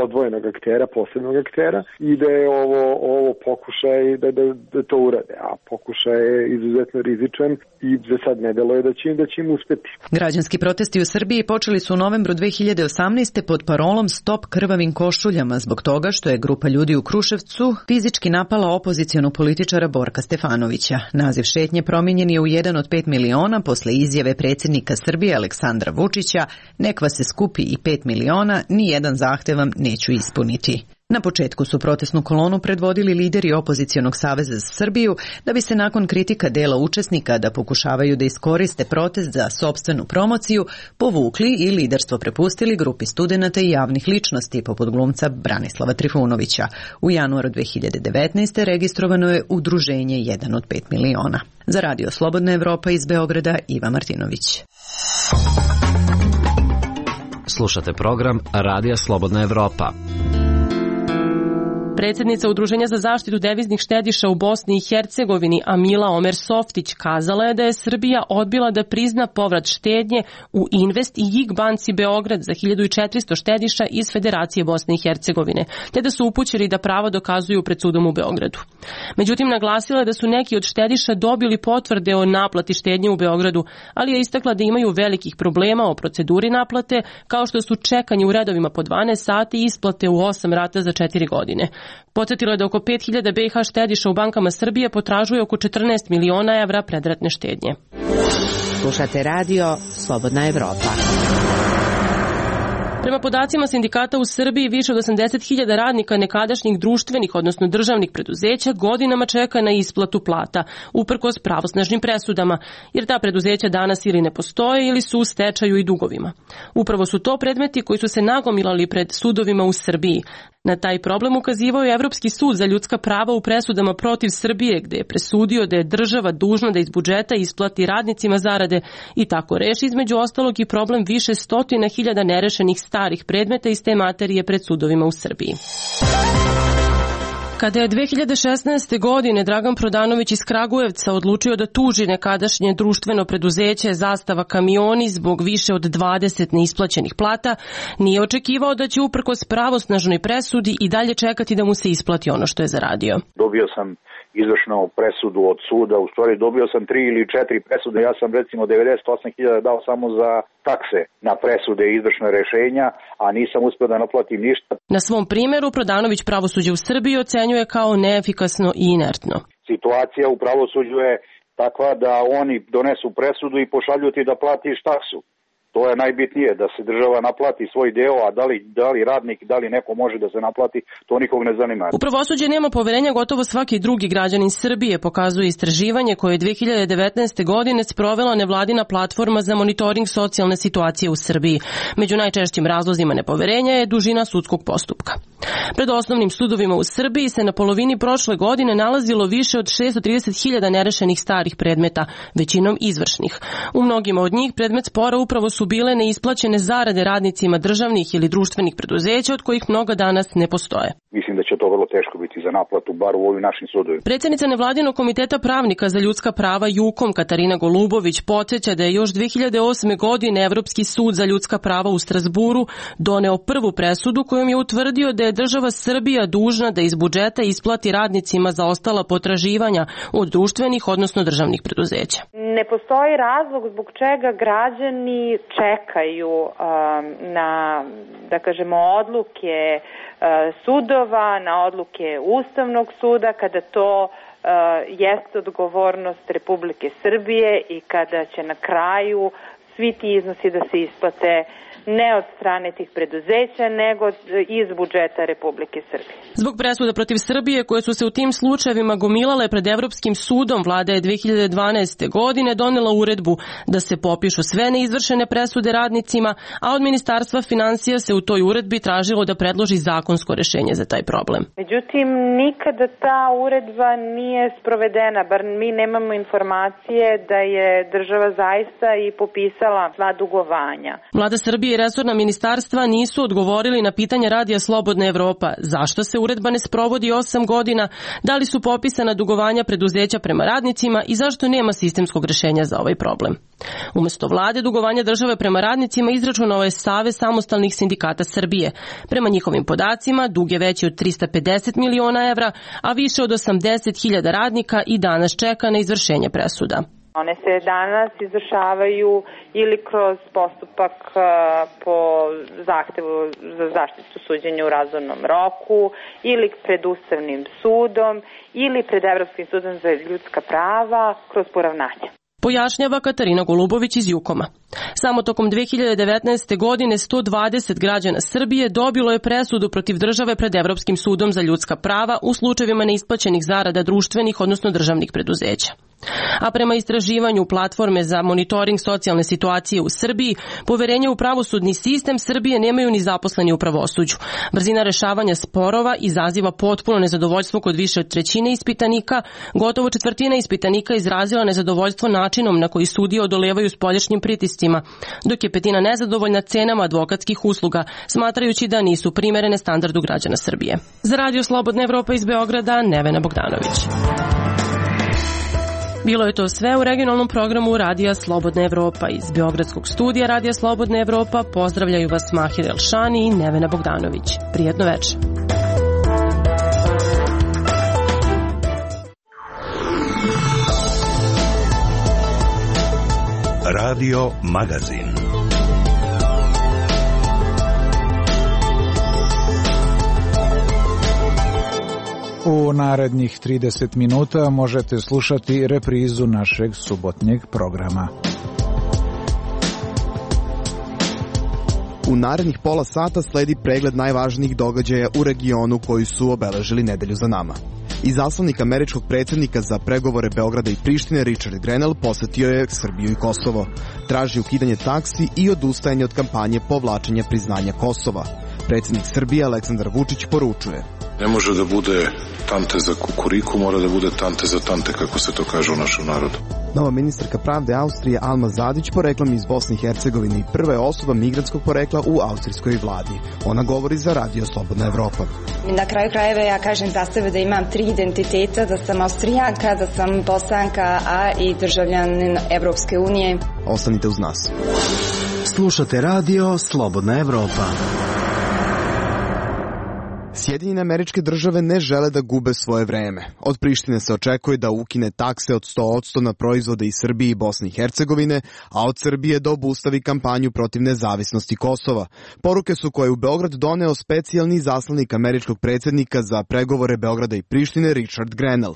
S: odvojenog aktera, posebnog aktera i da je ovo, ovo pokušaj da, da, da to urade, a pokušaj je izuzetno rizičan i za sad ne deluje da će im, da će im uspeti.
R: Građanski protesti u Srbiji počeli su u novembru dve hiljade osamnaeste. pod parolom Stop krvavim košuljama zbog toga što je grupa ljudi u Kruševcu fizički napala opozicionog političara Borka Stefanovića. Naziv šetnje promijenjen je u jedan od pet miliona posle izjave predsjednika Srbije Aleksandra Vučića: nek vas se skupi i pet miliona, ni jedan zahtev vam neću ispuniti. Na početku su protestnu kolonu predvodili lideri opozicionog saveza za Srbiju, da bi se nakon kritika dela učesnika da pokušavaju da iskoriste protest za sopstvenu promociju povukli i liderstvo prepustili grupi studenata i javnih ličnosti poput glumca Branislava Trifunovića. U januaru dve hiljade devetnaeste. registrovano je udruženje jedan od pet miliona. Za Radio Slobodna Evropa iz Beograda, Iva Martinović.
P: Slušate program Radija Slobodna Evropa.
A: Predsjednica Udruženja za zaštitu deviznih štediša u Bosni i Hercegovini Amila Omer Softić kazala je da je Srbija odbila da prizna povrat štednje u Invest i J I G banci Beograd za hiljadu četiristo štediša iz Federacije Bosne i Hercegovine, te da su upućeni da pravo dokazuju pred sudom u Beogradu. Međutim, naglasila je da su neki od štediša dobili potvrde o naplati štednje u Beogradu, ali je istakla da imaju velikih problema o proceduri naplate, kao što su čekanje u redovima po dvanaest sati i isplate u osam rata za četiri godine. Podsjetila je da oko pet hiljada B i H štediša u bankama Srbije potražuje oko četrnaest miliona evra predratne štednje.
H: Slušate radio Slobodna Evropa.
A: Prema podacima sindikata u Srbiji, više od osamdeset hiljada radnika nekadašnjih društvenih, odnosno državnih preduzeća godinama čeka na isplatu plata, uprkos pravosnažnim presudama, jer ta preduzeća danas ili ne postoje ili su u stečaju i dugovima. Upravo su to predmeti koji su se nagomilali pred sudovima u Srbiji. Na taj problem ukazivao je Evropski sud za ljudska prava u presudama protiv Srbije, gde je presudio da je država dužna da iz budžeta isplati radnicima zarade i tako reši između ostalog i problem više stotina hiljada nerešenih starih predmeta iz te materije pred sudovima u Srbiji. Kada je dve hiljade šesnaeste. godine Dragan Prodanović iz Kragujevca odlučio da tuži nekadašnje društveno preduzeće Zastava kamioni zbog više od dvadeset neisplaćenih plata, nije očekivao da će uprkos pravosnažnoj presudi i dalje čekati da mu se isplati ono što je zaradio.
D: Dobio sam izvršnu presudu od suda, u stvari dobio sam tri ili četiri presude, ja sam recimo devedeset osam hiljada dao samo za takse na presude i izvršne rešenja, a nisam uspio da naplatim ništa.
A: Na svom primjeru Prodanović pravosuđe u Srbiji ocenjuje kao neefikasno i inertno.
D: Situacija u pravosuđu je takva da oni donesu presudu i pošalju ti da platiš taksu. To je najbitnije, da se država naplati svoj deo, a da li, da li radnik, da li neko može da se naplati, to nikog ne zanima.
A: U pravosuđe nema poverenja gotovo svaki drugi građanin Srbije, pokazuje istraživanje koje je dve hiljade devetnaeste. godine sprovela nevladina platforma za monitoring socijalne situacije u Srbiji. Među najčešćim razlozima nepoverenja je dužina sudskog postupka. Pred osnovnim sudovima u Srbiji se na polovini prošle godine nalazilo više od šessto trideset hiljada nerešenih starih predmeta, većinom izvršnih. U mnogima od njih predmet spora upravo su bile neisplaćene zarade radnicima državnih ili društvenih preduzeća od kojih mnoga danas ne postoje.
D: Mislim da će to vrlo teško biti za naplatu, bar u ovim našim sudovima.
A: Predsjednica nevladinog komiteta pravnika za ljudska prava Jukom Katarina Golubović podsjeća da je još dve hiljade osme. godine Evropski sud za ljudska prava u Strazburu doneo prvu presudu kojom je utvrdio da je država Srbija dužna da iz budžeta isplati radnicima zaostala potraživanja od društvenih, odnosno državnih preduzeća.
T: Ne postoji razlog zbog čega građani čekaju um, na, da kažemo, odluke uh, sudova, na odluke Ustavnog suda, kada to uh, jeste odgovornost Republike Srbije i kada će na kraju svi ti iznosi da se isplate ne od strane tih preduzeća, nego iz budžeta Republike Srbije.
A: Zbog presuda protiv Srbije koje su se u tim slučajevima gomilale pred Evropskim sudom, vlada je dve hiljade dvanaeste. godine donela uredbu da se popišu sve neizvršene presude radnicima, a od Ministarstva finansija se u toj uredbi tražilo da predloži zakonsko rešenje za taj problem.
T: Međutim, nikada ta uredba nije sprovedena, bar mi nemamo informacije da je država zaista i popisala sva dugovanja.
A: Vlada Srbije Srbije i resorna ministarstva nisu odgovorili na pitanje Radija Slobodna Evropa zašto se uredba ne sprovodi osam godina, da li su popisana dugovanja preduzeća prema radnicima i zašto nema sistemskog rešenja za ovaj problem. Umesto vlade, dugovanja države prema radnicima izračunao je Savez samostalnih sindikata Srbije. Prema njihovim podacima, dug je veći od trista pedeset miliona evra, a više od osamdeset hiljada radnika i danas čeka na izvršenje presuda.
T: One se danas izvršavaju ili kroz postupak po zahtevu za zaštitu suđenja u razumnom roku, ili pred Ustavnim sudom, ili pred Evropskim sudom za ljudska prava kroz poravnanje.
A: Pojašnjava Katarina Golubović iz Jukoma. Samo tokom dve hiljade devetnaeste. godine sto dvadeset građana Srbije dobilo je presudu protiv države pred Evropskim sudom za ljudska prava u slučajevima neisplaćenih zarada društvenih, odnosno državnih preduzeća. A prema istraživanju platforme za monitoring socijalne situacije u Srbiji, poverenje u pravosudni sistem Srbije nemaju ni zaposleni u pravosuđu. Brzina rešavanja sporova izaziva potpuno nezadovoljstvo kod više od trećine ispitanika, gotovo četvrtina ispitanika izrazila nezadovoljstvo načinom na koji sudije odolevaju spoljašnjim pritiscima, dok je petina nezadovoljna cenama advokatskih usluga, smatrajući da nisu primerene standardu građana Srbije. Za Radio Slobodna Evropa iz Beograda, Nevena Bogdanović. Bilo je to sve u regionalnom programu Radija Slobodna Evropa. Iz Beogradskog studija Radija Slobodna Evropa pozdravljaju vas Mahir Elšani i Nevena Bogdanović. Prijetno večer.
E: Radio Magazin.
O: U narednih trideset minuta možete slušati reprizu našeg subotnjeg programa.
U: U narednih pola sata sledi pregled najvažnijih događaja u regionu koji su obeležili nedelju za nama. Izaslanik američkog predsjednika za pregovore Beograda i Prištine Richard Grenell posetio je Srbiju i Kosovo. Traži ukidanje taksi i odustajanje od kampanje povlačenja priznanja Kosova. Predsjednik Srbije Aleksandar Vučić poručuje:
V: ne može da bude tante za kukuriku, mora da bude tante za tante, kako se to kaže u našem narodu.
U: Nova ministarka pravde Austrije Alma Zadić poreklom iz Bosne i Hercegovine i prva je osoba migrantskog porekla u austrijskoj vladi. Ona govori za Radio Slobodna Evropa.
W: Na kraju krajeva ja kažem za sebe da imam tri identiteta, da sam Austrijanka, da sam Bosanka, a i državljanin Evropske unije.
U: Ostanite uz nas.
X: Slušate Radio Slobodna Evropa.
U: Sjedinjene Američke Države ne žele da gube svoje vreme. Od Prištine se očekuje da ukine takse od sto posto na proizvode iz Srbije i Bosne i Hercegovine, a od Srbije da obustavi kampanju protiv nezavisnosti Kosova. Poruke su koje u Beograd doneo specijalni zaslanik američkog predsjednika za pregovore Beograda i Prištine Richard Grenell.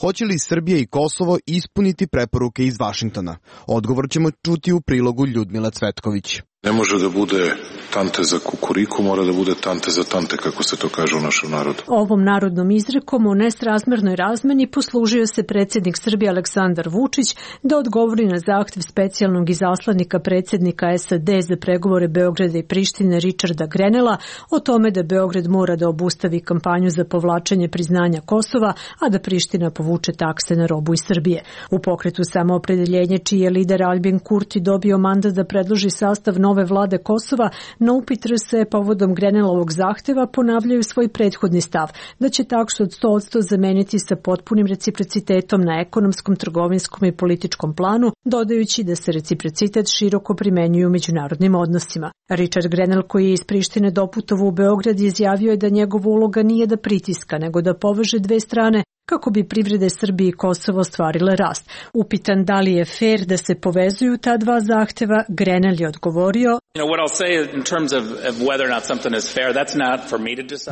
U: Hoće li Srbija i Kosovo ispuniti preporuke iz Vašingtona? Odgovor ćemo čuti u prilogu Ljudmila Cvetković.
V: Ne može da bude tante za kukuriku, mora da bude tante za tante, kako se to kaže u našem narodu.
Q: Ovom narodnom izrekom o nesrazmernoj razmeni poslužio se predsjednik Srbije Aleksandar Vučić da odgovori na zahtev specijalnog izaslanika predsjednika S A D za pregovore Beograda i Prištine Richarda Grenella o tome da Beograd mora da obustavi kampanju za povlačenje priznanja Kosova, a da Priština povuče takse na robu iz Srbije. U pokretu Samoopredeljenje, čiji je lider Albin Kurti dobio mandat da predloži sastav nove vlade Kosova, na upit R S E povodom Grenellovog zahteva ponavljaju svoj prethodni stav, da će taksu od sto posto zameniti sa potpunim reciprocitetom na ekonomskom, trgovinskom i političkom planu, dodajući da se reciprocitet široko primenjuje u međunarodnim odnosima. Richard Grenell, koji je iz Prištine doputovao u Beograd, izjavio je da njegova uloga nije da pritiska, nego da poveže dve strane kako bi privrede Srbije i Kosovo ostvarile rast. Upitan da li je fair da se povezuju ta dva zahteva, Grenell je odgovorio: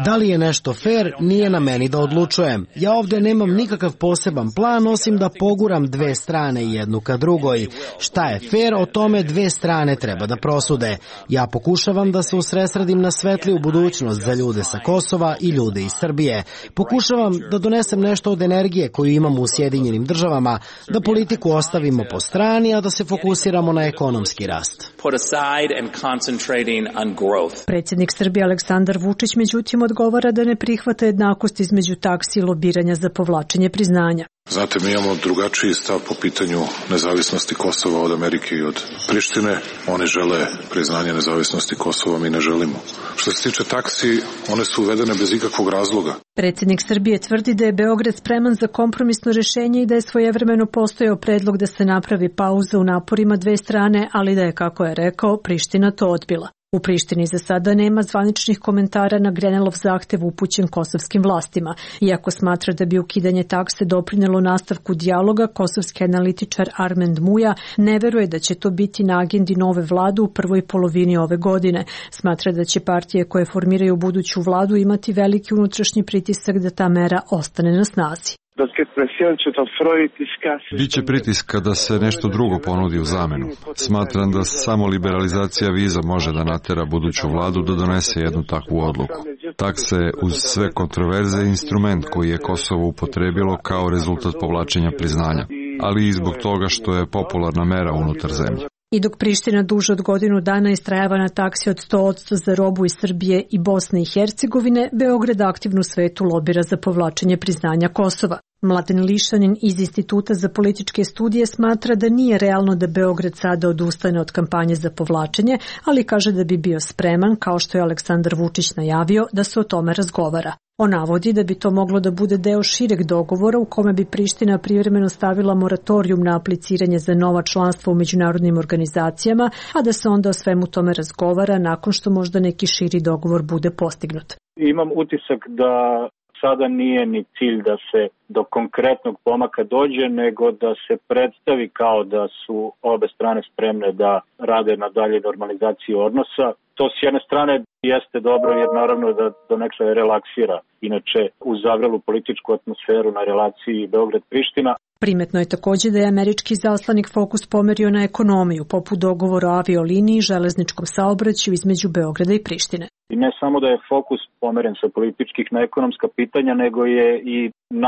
X: da li je nešto fair, nije na meni da odlučujem. Ja ovdje nemam nikakav poseban plan, osim da poguram dve strane jednu ka drugoj. Šta je fair, o tome dve strane treba da prosude. Ja pokušavam da se usredsredim na svetliju budućnost za ljude sa Kosova i ljude iz Srbije. Pokušavam da donesem nešto od energije koju imamo u Sjedinjenim Državama, da politiku ostavimo po strani, a da se fokusiramo na ekonomski rast.
Q: Predsjednik Srbije Aleksandar Vučić međutim odgovara da ne prihvata jednakost između taksi i lobiranja za povlačenje priznanja.
V: Znate, mi imamo drugačiji stav po pitanju nezavisnosti Kosova od Amerike i od Prištine. Oni žele priznanje nezavisnosti Kosova, mi ne želimo. Što se tiče taksi, one su uvedene bez ikakvog razloga.
Q: Predsjednik Srbije tvrdi da je Beograd spreman za kompromisno rješenje i da je svojevremeno postojao predlog da se napravi pauza u naporima dve strane, ali da je, kako je rekao, Priština to odbila. U Prištini za sada nema zvaničnih komentara na Grenelov zahtev upućen kosovskim vlastima. Iako smatra da bi ukidanje takse doprinelo nastavku dijaloga, kosovski analitičar Armend Muja ne veruje da će to biti na agendi nove vlade u prvoj polovini ove godine. Smatra da će partije koje formiraju buduću vladu imati veliki unutrašnji pritisak da ta mera ostane na snazi.
B: Biće pritiska da se nešto drugo ponudi u zamenu. Smatram da samo liberalizacija viza može da natera buduću vladu da donese jednu takvu odluku. Takse uz sve kontroverze je instrument koji je Kosovo upotrebilo kao rezultat povlačenja priznanja, ali i zbog toga što je popularna mera unutar zemlje.
Q: I dok Priština duže od godinu dana istrajava na taksi od sto posto za robu iz Srbije i Bosne i Hercegovine, Beograd aktivno u svetu lobira za povlačenje priznanja Kosova. Mladen Lišanin iz Instituta za političke studije smatra da nije realno da Beograd sada odustane od kampanje za povlačenje, ali kaže da bi bio spreman, kao što je Aleksandar Vučić najavio, da se o tome razgovara. On navodi da bi to moglo da bude deo šireg dogovora u kome bi Priština privremeno stavila moratorijum na apliciranje za nova članstva u međunarodnim organizacijama, a da se onda o svemu tome razgovara nakon što možda neki širi dogovor bude postignut.
C: Imam utisak da sada nije ni cilj da se do konkretnog pomaka dođe, nego da se predstavi kao da su obe strane spremne da rade na dalje normalizaciji odnosa. To s jedne strane jeste dobro jer naravno da donekle relaksira inače uz zavrelu političku atmosferu na relaciji Beograd-Priština.
Q: Primetno je također da je američki zaslanik fokus pomerio na ekonomiju, poput dogovora o avioliniji i železničkom saobraćaju između Beograda i Prištine.
C: I ne samo da je fokus pomeren sa političkih na ekonomska pitanja, nego je i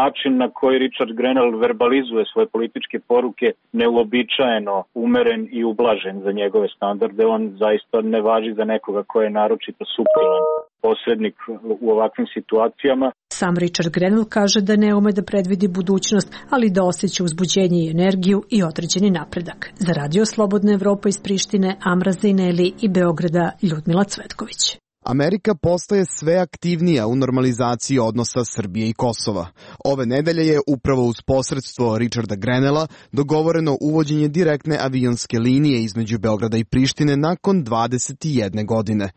C: način na koji Richard Grenell verbalizuje svoje političke poruke neuobičajeno umeren i ublažen za njegove standarde. On zaista ne važi za nekoga ko je naročito suptilan posrednik u ovakvim situacijama.
Q: Sam Richard Grenell kaže da ne ume da predvidi budućnost, ali da osjeća uzbuđenje i energiju i određeni napredak. Za Radio Slobodna Evropa iz Prištine, Amra Zejneli i Beograda, Ljudmila Cvetković.
U: Amerika postaje sve aktivnija u normalizaciji odnosa Srbije i Kosova. Ove nedelje je upravo uz posredstvo Richarda Grenella dogovoreno uvođenje direktne avionske linije između Beograda i Prištine nakon dvadeset jedne godine.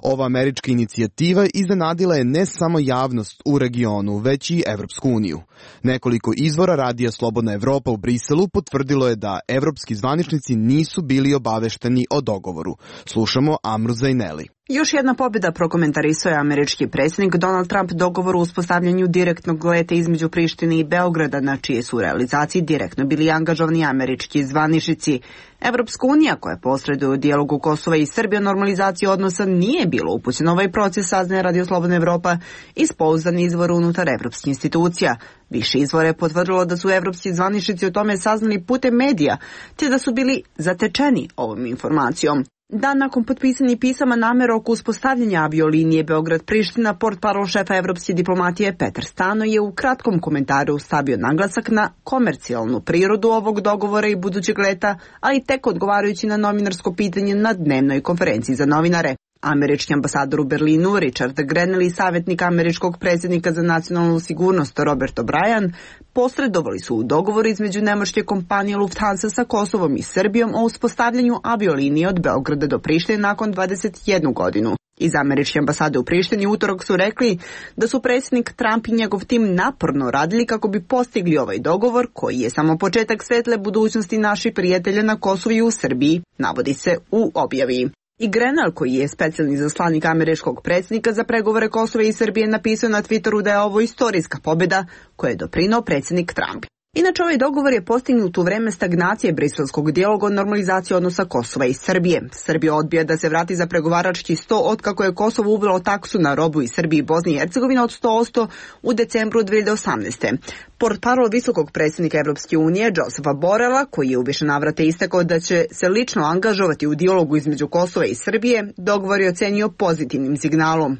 U: Ova američka inicijativa iznenadila je ne samo javnost u regionu, već i Evropsku uniju. Nekoliko izvora Radija Slobodna Evropa u Briselu potvrdilo je da evropski zvaničnici nisu bili obavešteni o dogovoru. Slušamo Amru Zejneli.
F: Još jedna pobjeda, prokomentarisao je američki predsjednik Donald Trump dogovor o uspostavljanju direktnog leta između Prištine i Beograda, na čije su realizaciji direktno bili angažovani američki zvaničnici. Evropska unija, koja posreduje u dijalogu Kosova i Srbije o normalizaciji odnosa, nije bilo upućena ovaj proces, saznaje Radio Slobodna Evropa iz pouzdanih izvora unutar evropskih institucija. Više izvora je potvrdilo da su evropski zvaničnici o tome saznali putem medija, te da su bili zatečeni ovom informacijom. Dan nakon potpisanih pisama namera oko uspostavljanja aviolinije Beograd-Priština, portparol šefa evropske diplomatije Petar Stano je u kratkom komentaru stavio naglasak na komercijalnu prirodu ovog dogovora i budućeg leta, ali tek odgovarajući na novinarsko pitanje na dnevnoj konferenciji za novinare. Američki ambasador u Berlinu, Richard Grenell, i savjetnik američkog predsjednika za nacionalnu sigurnost Robert O'Brien posredovali su u dogovoru između nemačke kompanije Lufthansa sa Kosovom i Srbijom o uspostavljanju aviolinije od Beograda do Prištine nakon dvadeset jednu godinu. Iz američke ambasade u Prištini utorak su rekli da su predsjednik Trump i njegov tim naporno radili kako bi postigli ovaj dogovor, koji je samo početak svetle budućnosti naših prijatelja na Kosovu i u Srbiji, navodi se u objavi. I Grenell, koji je specijalni zaslanik američkog predsjednika za pregovore Kosova i Srbije, napisao na Twitteru da je ovo istorijska pobjeda koju je doprinao predsjednik Trump. Inače, ovaj dogovor je postignut u vreme stagnacije briselskog dijaloga o normalizaciji odnosa Kosova i Srbije. Srbija odbija da se vrati za pregovarački sto otkako je Kosovo uvelo taksu na robu iz Srbije i Bosne i Hercegovine od sto posto u decembru dve hiljade osamnaeste. Portparol visokog predsjednika Evropske unije Josefa Borela, koji je u više navrata istakao da će se lično angažovati u dijalogu između Kosova i Srbije, dogovor je ocenio pozitivnim signalom.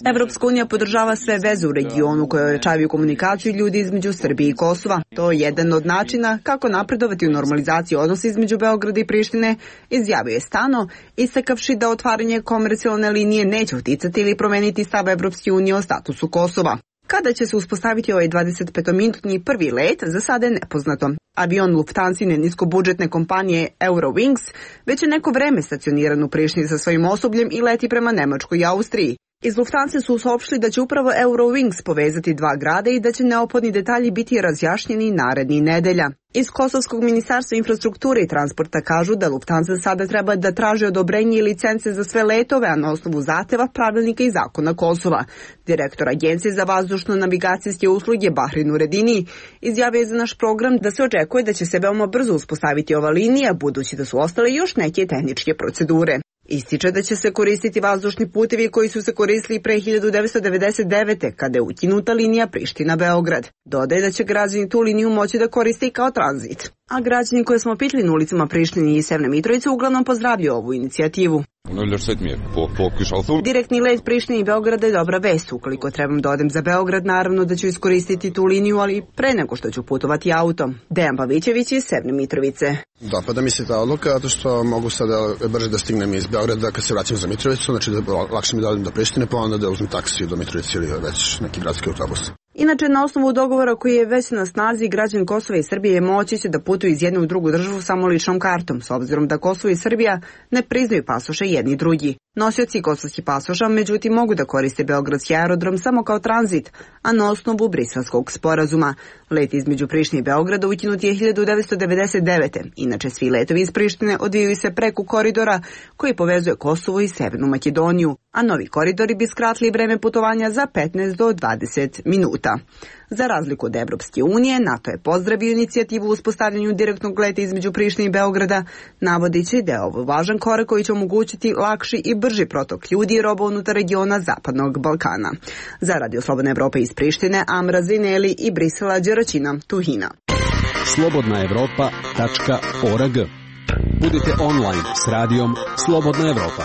F: Evropska unija podržava sve veze u regionu koje ojačavaju komunikaciju ljudi između Srbije i Kosova. To je jedan od načina kako napredovati u normalizaciji odnosa između Beograda i Prištine, izjavio je Stano, istakavši da otvaranje komercijalne linije neće uticati ili promeniti stav Evropske unije o statusu Kosova. Kada će se uspostaviti ovaj dvadesetpetominutni prvi let, za sada je nepoznato. Avion Lufthansine niskobudžetne kompanije Eurowings već je neko vreme stacioniran u Prištini sa svojim osobljem i leti prema Nemačkoj i Austriji. Iz Lufthansa su saopštili da će upravo Eurowings povezati dva grada i da će neophodni detalji biti razjašnjeni narednih nedelja. Iz Kosovskog ministarstva infrastrukture i transporta kažu da Lufthansa sada treba da traži odobrenje i licence za sve letove, a na osnovu zahteva, pravilnika i zakona Kosova. Direktor Agencije za vazdušno-navigacijske usluge Bahrin Uredini izjavio je za naš program da se očekuje da će se veoma brzo uspostaviti ova linija, budući da su ostale još neke tehničke procedure. Ističe da će se koristiti vazdušni putevi koji su se koristili pre hiljadu devetsto devedeset devete. kada je ukinuta linija Priština-Beograd. Dodaje da će građani tu liniju moći da koriste i kao tranzit. A građani koje smo pitali na ulicama Prištine i Severne Mitrovice uglavnom pozdravljaju ovu inicijativu. Direktni let Prištine i Beograda je dobra vest. Ukoliko trebam da odem za Beograd, naravno da ću iskoristiti tu liniju, ali pre nego što ću putovati autom. Dejan Pavićević iz Severne Mitrovice.
G: Dopada mi se ta odluka, zato što mogu sada brže da stignem iz Beograda kad se vraćam za Mitrovicu, znači da lakše mi da odem do Prištine, pa onda da uzmem taksiju do Mitrovice ili već neki gradski autobus.
F: Inače, na osnovu dogovora koji je već na snazi, građani Kosova i Srbije moći će da putuju iz jedne u drugu državu samo ličnom kartom, s obzirom da Kosovo i Srbija ne priznaju pasoše jedni i drugi. Nosioci kosovskih pasoša, međutim, mogu da koriste beogradski aerodrom samo kao tranzit, a na osnovu Briselskog sporazuma. Let između Prištine i Beograda ukinut je hiljadu devetsto devedeset devete. Inače, svi letovi iz Prištine odvijaju se preko koridora koji povezuje Kosovo i Severnu Makedoniju, a novi koridori bi skratili vreme putovanja za petnaest do dvadeset minuta. Za razliku od Evropske unije, NATO je pozdravio inicijativu u uspostavljanju direktnog leta između Prištine i Beograda, navodeći da je ovo važan korak koji će omogućiti lakši i brži protok ljudi i roba unutar regiona Zapadnog Balkana. Za Radio Slobodna Evropa iz Prištine, Amra Zineli i Brisela Đeračina Tuhina.
N: slobodna evropa tačka org. Budite online s radijom Slobodna Evropa.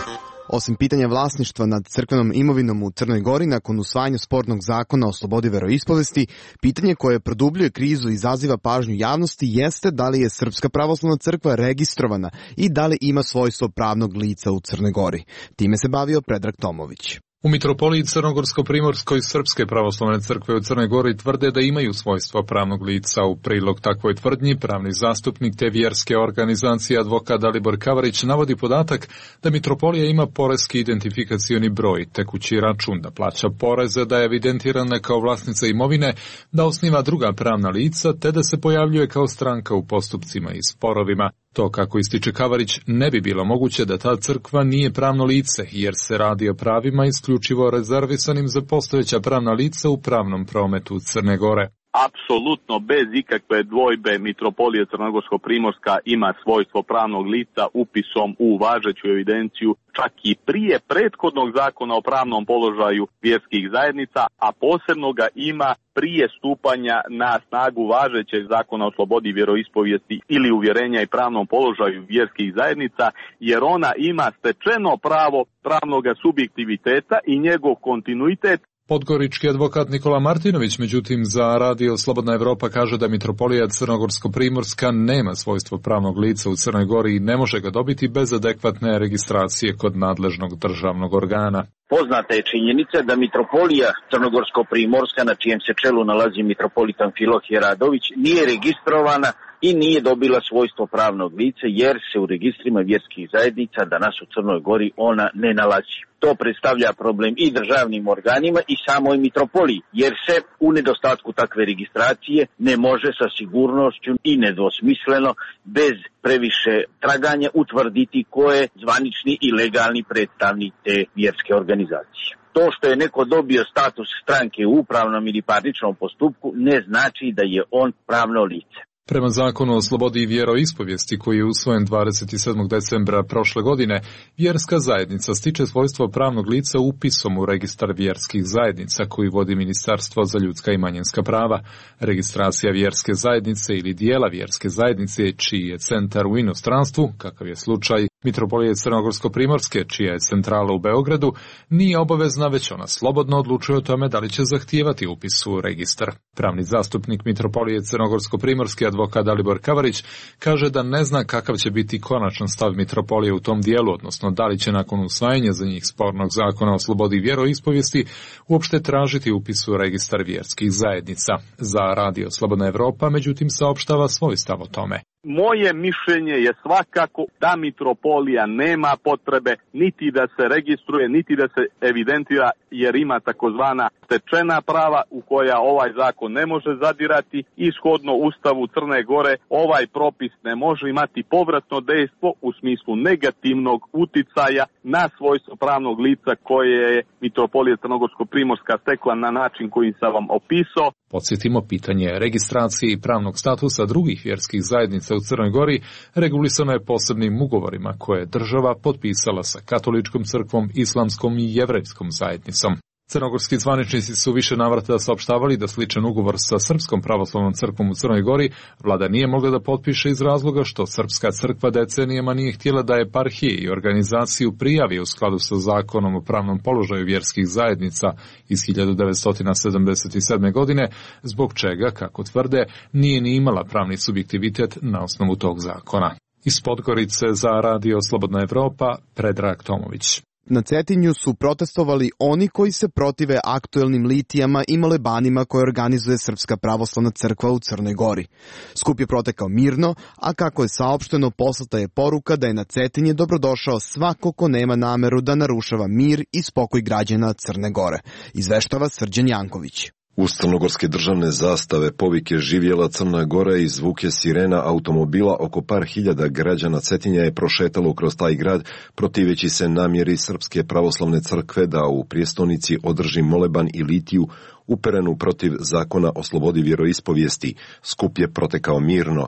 U: Osim pitanja vlasništva nad crkvenom imovinom u Crnoj Gori nakon usvajanja spornog zakona o slobodi veroispovesti, pitanje koje produbljuje krizu i izaziva pažnju javnosti jeste da li je Srpska pravoslavna crkva registrovana i da li ima svojstvo pravnog lica u Crnoj Gori. Time se bavio Predrag Tomović.
J: U Mitropoliji Crnogorsko-Primorskoj Srpske pravoslavne crkve u Crnoj Gori tvrde da imaju svojstvo pravnog lica. U prilog takvoj tvrdnji pravni zastupnik te vjerske organizacije advokat Dalibor Kavarić navodi podatak da Mitropolija ima poreski identifikacioni broj, tekući račun, da plaća poreze, da je evidentirana kao vlasnica imovine, da osniva druga pravna lica te da se pojavljuje kao stranka u postupcima i sporovima. To, kako ističe Kavarić, ne bi bilo moguće da ta crkva nije pravno lice, jer se radi o pravima isključivo rezervisanim za postojeća pravna lica u pravnom prometu Crne Gore.
K: Apsolutno bez ikakve dvojbe Mitropolija Crnogorsko-Primorska ima svojstvo pravnog lica upisom u važeću evidenciju čak i prije prethodnog zakona o pravnom položaju vjerskih zajednica, a posebno ga ima prije stupanja na snagu važećeg zakona o slobodi vjeroispovijesti ili uvjerenja i pravnom položaju vjerskih zajednica, jer ona ima stečeno pravo pravnog subjektiviteta i njegov kontinuitet.
J: Podgorički advokat Nikola Martinović, međutim, za Radio Slobodna Evropa kaže da Mitropolija Crnogorsko-Primorska nema svojstvo pravnog lica u Crnoj Gori i ne može ga dobiti bez adekvatne registracije kod nadležnog državnog organa.
L: Poznata je činjenica da Mitropolija Crnogorsko-Primorska, na čijem se čelu nalazi mitropolitan Filohije Radović, nije registrovana i nije dobila svojstvo pravnog lica, jer se u registrima vjerskih zajednica danas u Crnoj Gori ona ne nalazi. To predstavlja problem i državnim organima i samoj mitropoliji, jer se u nedostatku takve registracije ne može sa sigurnošću i nedvosmisleno, bez previše traganja, utvrditi ko je zvanični i legalni predstavnik te vjerske organizacije. To što je neko dobio status stranke u upravnom ili parničnom postupku ne znači da je on pravno lice.
J: Prema zakonu o slobodi i vjeroispovijesti koji je usvojen dvadeset sedmog decembra prošle godine, vjerska zajednica stiče svojstvo pravnog lica upisom u registar vjerskih zajednica koji vodi Ministarstvo za ljudska i manjinska prava. Registracija vjerske zajednice ili dijela vjerske zajednice čiji je centar u inostranstvu, kakav je slučaj Mitropolije Crnogorsko-primorske, čija je centrala u Beogradu, nije obavezna, već ona slobodno odlučuje o tome da li će zahtijevati upis u registar. Pravni zastupnik Mitropolije Crnogorsko-primorske, advokat Dalibor Kavarić, kaže da ne zna kakav će biti konačan stav Mitropolije u tom dijelu, odnosno da li će nakon usvajanja za njih spornog zakona o slobodi vjeroispovijesti uopšte tražiti upis u registar vjerskih zajednica. Za Radio Slobodna Evropa, međutim, saopštava svoj stav o tome.
K: Moje mišljenje je svakako da mitropolija nema potrebe niti da se registruje, niti da se evidentira, jer ima takozvana stečena prava u koja ovaj zakon ne može zadirati. Ishodno Ustavu Crne Gore ovaj propis ne može imati povratno dejstvo u smislu negativnog uticaja na svojstvo pravnog lica koje je mitropolija Crnogorsko-primorska stekla na način koji sam vam opisao.
J: Podsjetimo, pitanje registracije i pravnog statusa drugih vjerskih zajednica u Crnoj Gori regulisano je posebnim ugovorima koje je država potpisala sa katoličkom crkvom, islamskom i jevrejskom zajednicom. Crnogorski zvaničnici su više navrata saopštavali da sličan ugovor sa Srpskom pravoslavnom crkvom u Crnoj Gori vlada nije mogla da potpiše iz razloga što Srpska crkva decenijama nije htjela da eparhije i organizaciju prijavi u skladu sa zakonom o pravnom položaju vjerskih zajednica iz hiljadu devetsto sedamdeset sedme. godine, zbog čega, kako tvrde, nije ni imala pravni subjektivitet na osnovu tog zakona. Iz Podgorice za Radio Slobodna Evropa, Predrag Tomović.
U: Na Cetinju su protestovali oni koji se protive aktuelnim litijama i molebanima koje organizuje Srpska pravoslavna crkva u Crnoj Gori. Skup je protekao mirno, a kako je saopšteno, poslata je poruka da je na Cetinje dobrodošao svako ko nema nameru da narušava mir i spokoj građana Crne Gore, izveštava Srđan Janković.
I: Uz crnogorske državne zastave, povike živjela Crna Gora i zvuke sirena automobila, oko par hiljada građana Cetinja je prošetalo kroz taj grad, protiveći se namjeri Srpske pravoslavne crkve da u prijestolnici održi moleban i litiju uperenu protiv zakona o slobodi vjeroispovijesti. Skup je protekao mirno.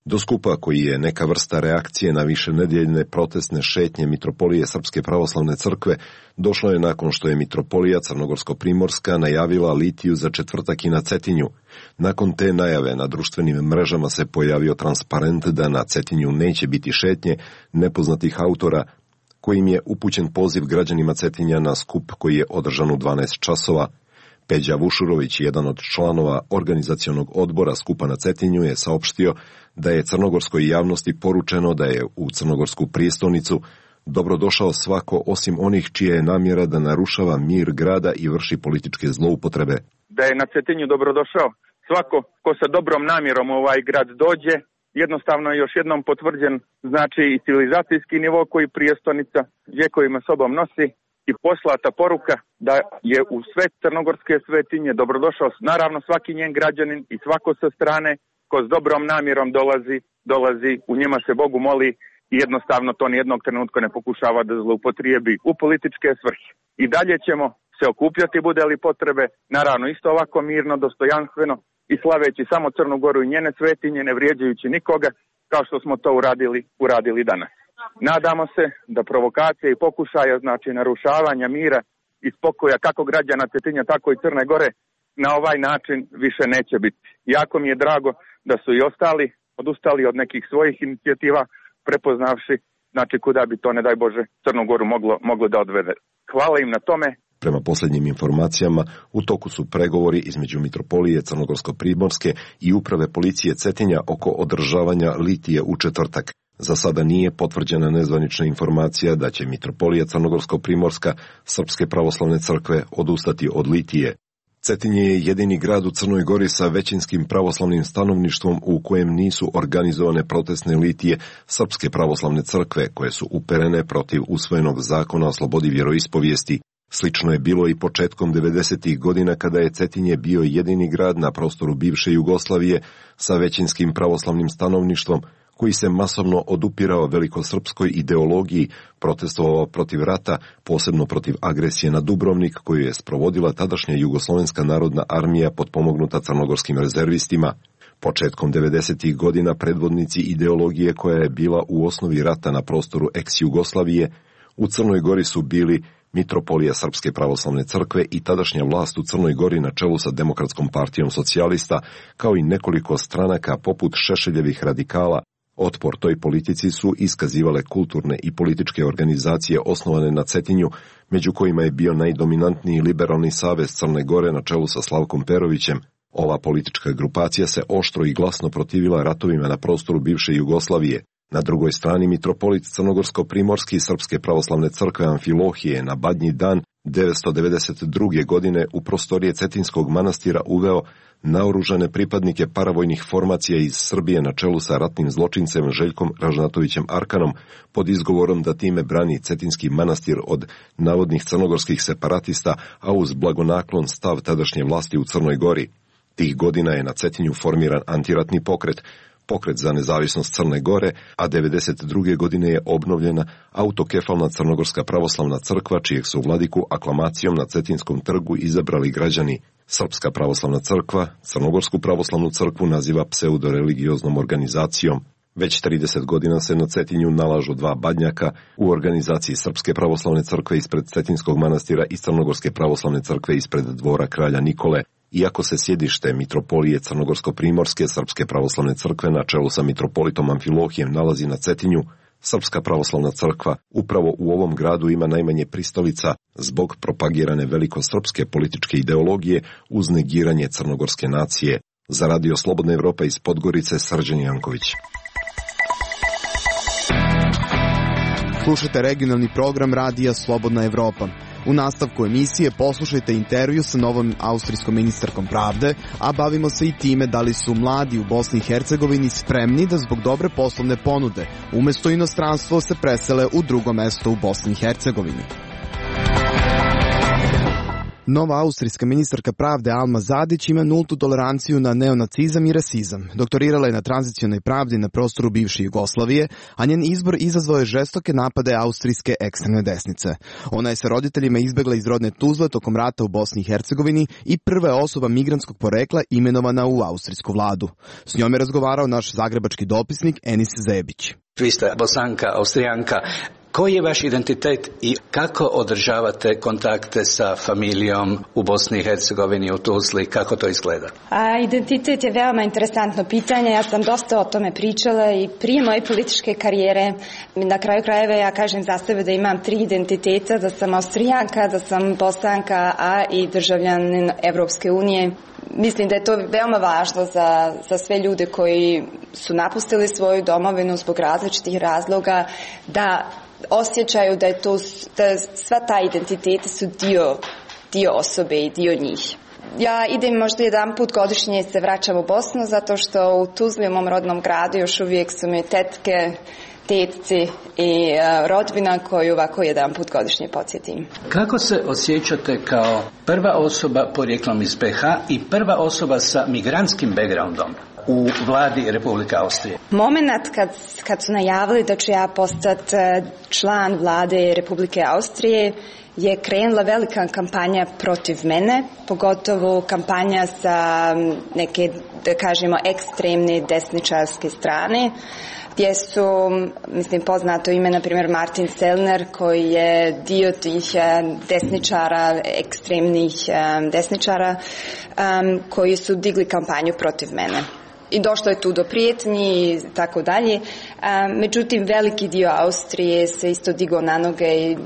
I: Do skupa, koji je neka vrsta reakcije na višenedjeljne protestne šetnje Mitropolije Srpske pravoslavne crkve, došlo je nakon što je Mitropolija Crnogorsko-primorska najavila litiju za četvrtak i na Cetinju. Nakon te najave na društvenim mrežama se pojavio transparent da na Cetinju neće biti šetnje nepoznatih autora, kojim je upućen poziv građanima Cetinja na skup koji je održan u dvanaest časova. Peđa Vušurović, jedan od članova organizacionog odbora skupa na Cetinju, je saopštio da je crnogorskoj javnosti poručeno da je u crnogorsku prijestolnicu dobrodošao svako osim onih čija je namjera da narušava mir grada i vrši političke zloupotrebe.
M: Da je na Cetinju dobrodošao svako ko sa dobrom namjerom u ovaj grad dođe, jednostavno je još jednom potvrđen znači i civilizacijski nivo koji prijestolnica vjekovima sobom nosi i poslata poruka da je u sve crnogorske svetinje dobrodošao naravno svaki njen građanin i svako sa strane ko s dobrom namjerom dolazi, dolazi, u njima se Bogu moli i jednostavno to nijednog trenutka ne pokušava da zloupotrijebi u političke svrhe. I dalje ćemo se okupljati bude li potrebe, naravno isto ovako mirno, dostojanstveno i slaveći samo Crnu Goru i njene svetinje, ne vrijeđajući nikoga, kao što smo to uradili, uradili danas. Nadamo se da provokacije i pokušaja, znači narušavanja mira i spokoja kako građana Cetinja, tako i Crne Gore, na ovaj način više neće biti. Jako mi je drago da su i ostali odustali od nekih svojih inicijativa, prepoznavši znači kuda bi to, ne daj Bože, Crnu Goru moglo, moglo da odvede. Hvala im na tome.
I: Prema posljednjim informacijama, u toku su pregovori između Mitropolije Crnogorsko-primorske i uprave policije Cetinja oko održavanja litije u četvrtak. Za sada nije potvrđena nezvanična informacija da će Mitropolija Crnogorsko-primorska Srpske pravoslavne crkve odustati od litije. Cetinje je jedini grad u Crnoj Gori sa većinskim pravoslavnim stanovništvom u kojem nisu organizovane protestne litije Srpske pravoslavne crkve koje su uperene protiv usvojenog zakona o slobodi vjeroispovijesti. Slično je bilo i početkom devedesetih godina kada je Cetinje bio jedini grad na prostoru bivše Jugoslavije sa većinskim pravoslavnim stanovništvom koji se masovno odupirao velikosrpskoj ideologiji, protestovao protiv rata, posebno protiv agresije na Dubrovnik koju je sprovodila tadašnja Jugoslovenska narodna armija potpomognuta crnogorskim rezervistima. Početkom devedesetih godina predvodnici ideologije koja je bila u osnovi rata na prostoru ex-Jugoslavije u Crnoj Gori su bili Mitropolija Srpske pravoslavne crkve i tadašnja vlast u Crnoj Gori na čelu sa Demokratskom partijom socijalista, kao i nekoliko stranaka poput Šešeljevih radikala. Otpor toj politici su iskazivale kulturne i političke organizacije osnovane na Cetinju, među kojima je bio najdominantniji Liberalni savez Crne Gore na čelu sa Slavkom Perovićem. Ova politička grupacija se oštro i glasno protivila ratovima na prostoru bivše Jugoslavije. Na drugoj strani mitropolit Crnogorsko-primorski Srpske pravoslavne crkve Amfilohije na Badnji dan devetsto devedeset druge. godine u prostorije Cetinskog manastira uveo naoružane pripadnike paravojnih formacija iz Srbije na čelu sa ratnim zločincem Željkom Ražnatovićem Arkanom pod izgovorom da time brani Cetinski manastir od navodnih crnogorskih separatista, a uz blagonaklon stav tadašnje vlasti u Crnoj Gori. Tih godina je na Cetinju formiran antiratni pokret, pokret za nezavisnost Crne Gore, a devedeset druge. godine je obnovljena autokefalna Crnogorska pravoslavna crkva, čijeg su vladiku aklamacijom na Cetinskom trgu izabrali građani. Srpska pravoslavna crkva Crnogorsku pravoslavnu crkvu naziva pseudoreligioznom organizacijom. Već trideset godina se na Cetinju nalažu dva badnjaka u organizaciji Srpske pravoslavne crkve ispred Cetinskog manastira i Crnogorske pravoslavne crkve ispred dvora kralja Nikole. Iako se sjedište Mitropolije Crnogorsko-primorske Srpske pravoslavne crkve na čelu sa mitropolitom Amfilohijem nalazi na Cetinju, Srpska pravoslavna crkva upravo u ovom gradu ima najmanje pristalica zbog propagirane velikosrpske političke ideologije uz negiranje crnogorske nacije. Za Radio Slobodna Evropa iz Podgorice, Srđan Janković.
U: Slušajte regionalni program Radija Slobodna Evropa. U nastavku emisije poslušajte intervju sa novom austrijskom ministarkom pravde, a bavimo se i time da li su mladi u Bosni i Hercegovini spremni da zbog dobre poslovne ponude umesto inostranstvo se presele u drugo mesto u Bosni i Hercegovini. Nova austrijska ministarka pravde Alma Zadić ima nultu toleranciju na neonacizam i rasizam. Doktorirala je na tranzicionoj pravdi na prostoru bivše Jugoslavije, a njen izbor izazvao je žestoke napade austrijske ekstremne desnice. Ona je sa roditeljima izbegla iz rodne Tuzle tokom rata u Bosni i Hercegovini i prva je osoba migrantskog porekla imenovana u austrijsku vladu. S njom je razgovarao naš zagrebački dopisnik Enis Zebić.
H: Vi ste Bosanka, Austrijanka. Koji je vaš identitet i kako održavate kontakte sa familijom u Bosni i Hercegovini, u Tuzli, kako to izgleda?
W: A, identitet je veoma interesantno pitanje, ja sam dosta o tome pričala i prije moje političke karijere. Na kraju krajeva ja kažem za sebe da imam tri identiteta, da sam Austrijanka, da sam Bosanka, a i državljanin Evropske unije. Mislim da je to veoma važno za, za sve ljude koji su napustili svoju domovinu zbog različitih razloga, da osjećaju da je to, da sva ta identiteti su dio, dio osobe i dio njih. Ja idem možda jedan put godišnje se vraćam u Bosnu zato što u Tuzli, u mom rodnom gradu, još uvijek su mi tetke, tetci i uh, rodbina koju ovako jedan put godišnje podsjetim.
H: Kako se osjećate kao prva osoba porijeklom iz be ha i prva osoba sa migrantskim backgroundom u vladi Republike Austrije?
W: Moment kad, kad su najavili da ću ja postati član vlade Republike Austrije je krenula velika kampanja protiv mene, pogotovo kampanja sa neke, da kažemo, ekstremne desničarske strane, gdje su, mislim, poznato ime, na primjer, Martin Sellner, koji je dio tih desničara, ekstremnih desničara, koji su digli kampanju protiv mene. I došlo je tu do prijetnji i tako dalje. Međutim, veliki dio Austrije se isto digao na noge i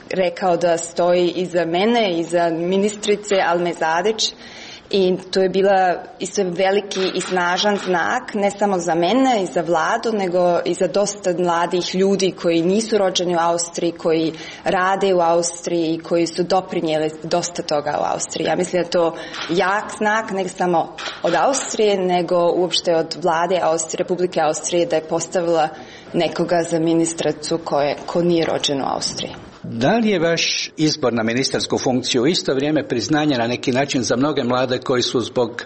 W: rekao da stoji iza mene, iza ministrice Alme Zadić. I to je bila isto veliki i snažan znak, ne samo za mene i za vladu, nego i za dosta mladih ljudi koji nisu rođeni u Austriji, koji rade u Austriji i koji su doprinijeli dosta toga u Austriji. Ja mislim da je to jak znak, ne samo od Austrije, nego uopšte od vlade Austrije, Republike Austrije, da je postavila nekoga za ministricu koje, ko nije rođen u Austriji.
H: Da li je vaš izbor na ministarsku funkciju u isto vrijeme priznanje na neki način za mnoge mlade koji su zbog uh,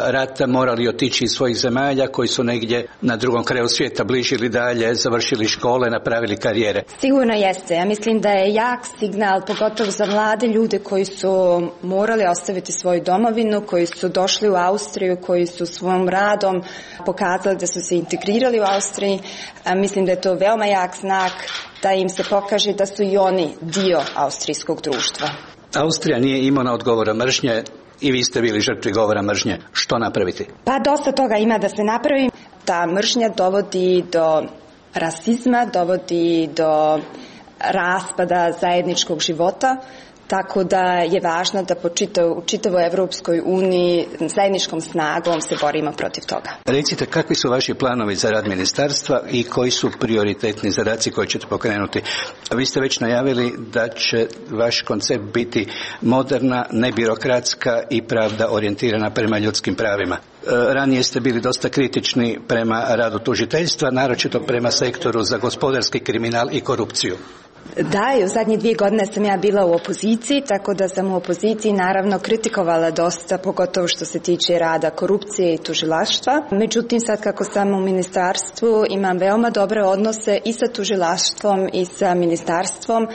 H: rata morali otići iz svojih zemalja, koji su negdje na drugom kraju svijeta bližili dalje, završili škole, napravili karijere?
W: Sigurno jeste. Ja mislim da je jak signal, pogotovo za mlade ljude koji su morali ostaviti svoju domovinu, koji su došli u Austriju, koji su svojim radom pokazali da su se integrirali u Austriji. A mislim da je to veoma jak znak da im se pokaže da su i oni dio austrijskog društva.
H: Austrija nije imuna od govora mržnje i vi ste bili žrtvi govora mržnje. Što napraviti?
W: Pa dosta toga ima da se napravi. Ta mržnja dovodi do rasizma, dovodi do raspada zajedničkog života, tako da je važno da po čitav, u čitavoj Evropskoj uniji zajedničkom snagom se borimo protiv toga.
H: Recite, kakvi su vaši planovi za rad ministarstva i koji su prioritetni zadaci koje ćete pokrenuti? Vi ste već najavili da će vaš koncept biti moderna, nebirokratska i pravda orijentirana prema ljudskim pravima. Ranije ste bili dosta kritični prema radu tužiteljstva, naročito prema sektoru za gospodarski kriminal i korupciju.
W: Da, i u zadnje dvije godine sam ja bila u opoziciji, tako da sam u opoziciji naravno kritikovala dosta, pogotovo što se tiče rada korupcije i tužilaštva. Međutim, sad kako sam u ministarstvu imam veoma dobre odnose i sa tužilaštvom i sa ministarstvom.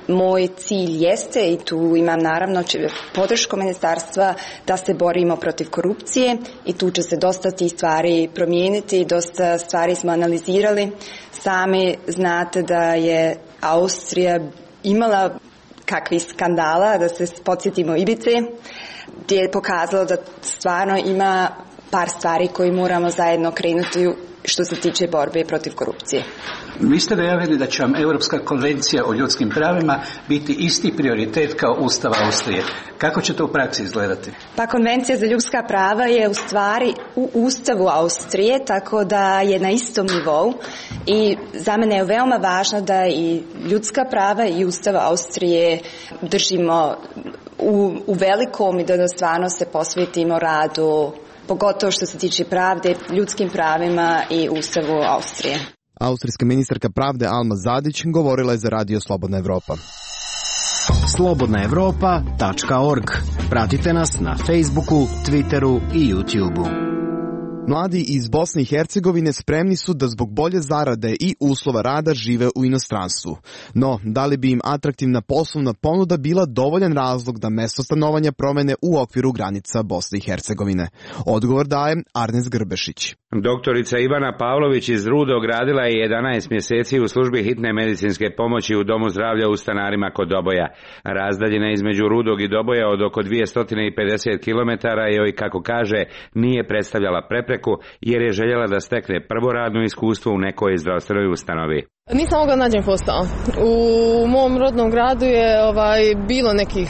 W: Moj cilj jeste, i tu imam naravno podršku ministarstva, da se borimo protiv korupcije i tu će se dosta tih stvari promijeniti, dosta stvari smo analizirali. Sami znate da je Austrija imala kakvih skandala, da se podsjetimo Ibice, gdje je pokazalo da stvarno ima par stvari koje moramo zajedno krenuti što se tiče borbe protiv korupcije.
H: Vi ste najavili da će vam Europska konvencija o ljudskim pravima biti isti prioritet kao Ustav Austrije. Kako će to u praksi izgledati?
W: Pa konvencija za ljudska prava je u stvari u Ustavu Austrije, tako da je na istom nivou i za mene je veoma važno da i ljudska prava i Ustav Austrije držimo u, u velikom i da stvarno se posvetimo radu, pogotovo što se tiče pravde, ljudskim pravima i Ustavu Austrije.
U: Austrijska ministarka pravde Alma Zadić govorila je za Radio Slobodna Evropa.
X: slobodna evropa tačka org. Pratite nas na Facebooku, Twitteru i YouTubeu.
U: Mladi iz Bosne i Hercegovine spremni su da zbog bolje zarade i uslova rada žive u inostranstvu. No, da li bi im atraktivna poslovna ponuda bila dovoljan razlog da mesto stanovanja promene u okviru granica Bosne i Hercegovine? Odgovor daje Arnes Grbešić.
D: Doktorica Ivana Pavlović iz Rudog radila je jedanaest mjeseci u službi hitne medicinske pomoći u Domu zdravlja u Stanarima kod Doboja. Razdaljina između Rudog i Doboja od oko dvjesto pedeset kilometara joj, kako kaže, nije predstavljala prepreku jer je željela da stekne prvo radno iskustvo u nekoj zdravstvenoj ustanovi.
P: Nisam mogla nađem posao. U mom rodnom gradu je ovaj, bilo nekih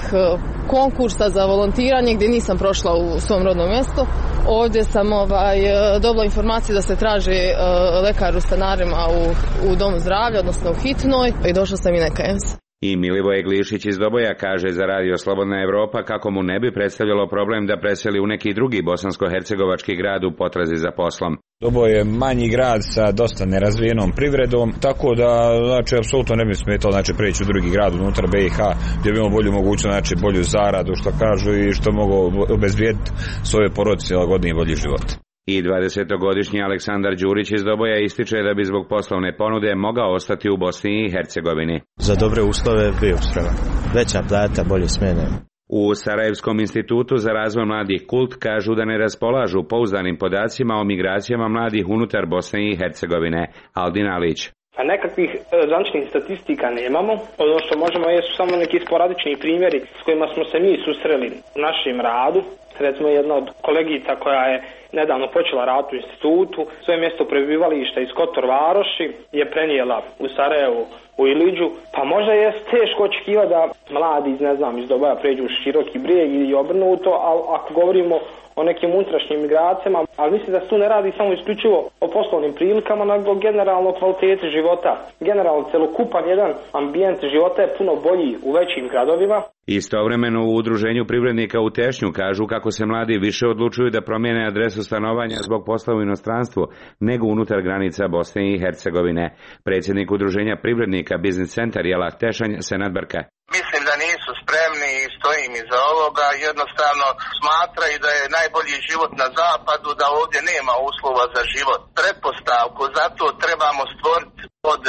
P: konkursa za volontiranje gdje nisam prošla u svom rodnom mjestu. Ovdje sam ovaj, dobila informaciju da se traži uh, lekar u Stanarima u, u domu zdravlja, odnosno u hitnoj, i došla sam i nekajem se.
D: I Milivoje Glišić iz Doboja kaže za Radio Slobodna Evropa kako mu ne bi predstavljalo problem da preseli u neki drugi bosansko-hercegovački grad u potrazi za poslom.
R: Doboj je manji grad sa dosta nerazvijenom privredom, tako da, znači, apsolutno ne bi smetalo, znači, preći u drugi grad unutar B i H, gdje bi imao bolju mogućnost, znači, bolju zaradu, što kažu, i što mogu obezbijediti svoje porodice lagodniji i bolji život.
D: I dvadesetogodišnji Aleksandar Đurić iz Doboja ističe da bi zbog poslovne ponude mogao ostati u Bosni i Hercegovini.
S: Za dobre uslove bio spreman. Veća plata, bolje smjene.
D: U Sarajevskom institutu za razvoj mladih Kult kažu da ne raspolažu pouzdanim podacima o migracijama mladih unutar Bosne i Hercegovine. Aldin Alić.
Y: A nekakvih zvaničnih statistika nemamo. Ono što možemo jesu samo neki sporadični primjeri s kojima smo se mi susreli u našem radu. Recimo, jedna od kolegica koja je nedavno počela rad u institutu, svoje mjesto prebivališta iz Kotor Varoši je prenijela u Sarajevu, u Iliđu. Pa možda je teško očekivati da mladi iz, ne znam, iz Doboja pređu u Široki Brijeg i obrnuto, ali ako govorimo o nekim unutrašnjim migracijama, ali mislim da se tu ne radi samo isključivo o poslovnim prilikama, nego generalno kvaliteti života. Generalno celokupan jedan ambijent života je puno bolji u većim gradovima.
D: Istovremeno u Udruženju privrednika u Tešnju kažu kako se mladi više odlučuju da promijene adresu stanovanja zbog posla u inostranstvu nego unutar granica Bosne i Hercegovine. Predsjednik Udruženja privrednika Biznis Centar Jelah Tešanj Senad Brka.
A: Mislim da nisu spremni i stojim iza ovoga, jednostavno smatraju da je najbolji život na zapadu, da ovdje nema uslova za život. Pretpostavku zato trebamo stvoriti od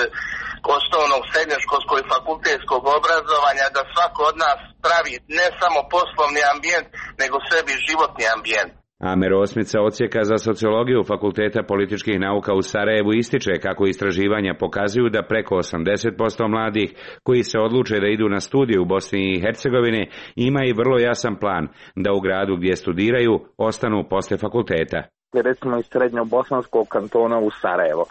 A: osnovnog srednjoškolskog i fakultetskog obrazovanja da svako od nas pravi ne samo poslovni ambijent, nego sebi životni ambijent.
D: Amer Osmica, odsjeka za sociologiju Fakulteta političkih nauka u Sarajevu, ističe kako istraživanja pokazuju da preko osamdeset posto mladih koji se odluče da idu na studije u Bosni i Hercegovini ima i vrlo jasan plan da u gradu gdje studiraju ostanu posle fakulteta.
E: Recimo iz srednjobosanskog kantona u Sarajevo.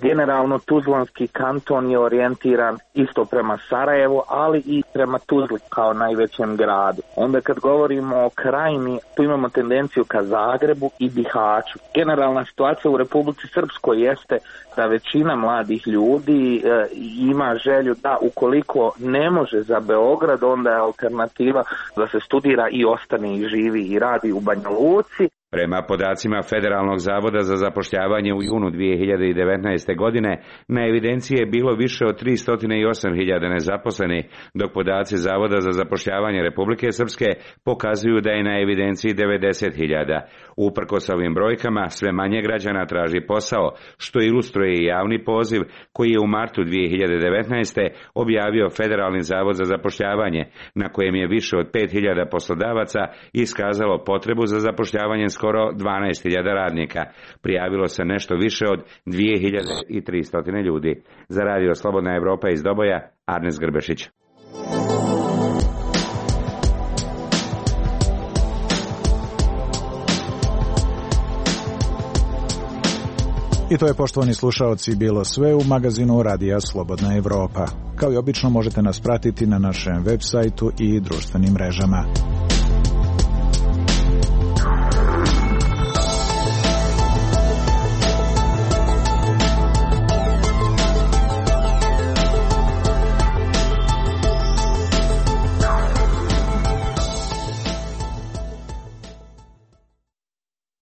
E: Generalno Tuzlanski kanton je orijentiran isto prema Sarajevu, ali i prema Tuzli kao najvećem gradu. Onda kad govorimo o krajini, tu imamo tendenciju ka Zagrebu i Bihaću. Generalna situacija u Republici Srpskoj jeste da većina mladih ljudi e, ima želju da ukoliko ne može za Beograd, onda je alternativa da se studira i ostane i živi i radi u Banja Luci.
D: Prema podacima Federalnog zavoda za zapošljavanje u junu dvije hiljade devetnaeste. godine na evidenciji je bilo više od tristo osam hiljada nezaposlenih, dok podaci Zavoda za zapošljavanje Republike Srpske pokazuju da je na evidenciji devedeset hiljada. Uprkos ovim brojkama, sve manje građana traži posao, što ilustruje i javni poziv koji je u martu dvije hiljade devetnaeste. objavio Federalni zavod za zapošljavanje, na kojem je više od pet hiljada poslodavaca iskazalo potrebu za zapošljavanjem skoro dvanaest hiljada radnika. Prijavilo se nešto više od dvije hiljade tristo ljudi. Za radio Slobodna Evropa iz Doboja, Arnes Grbešić.
O: I to je, poštovani slušaoci, bilo sve u magazinu Radija Slobodna Evropa. Kao i obično možete nas pratiti na našem web sajtu i društvenim mrežama.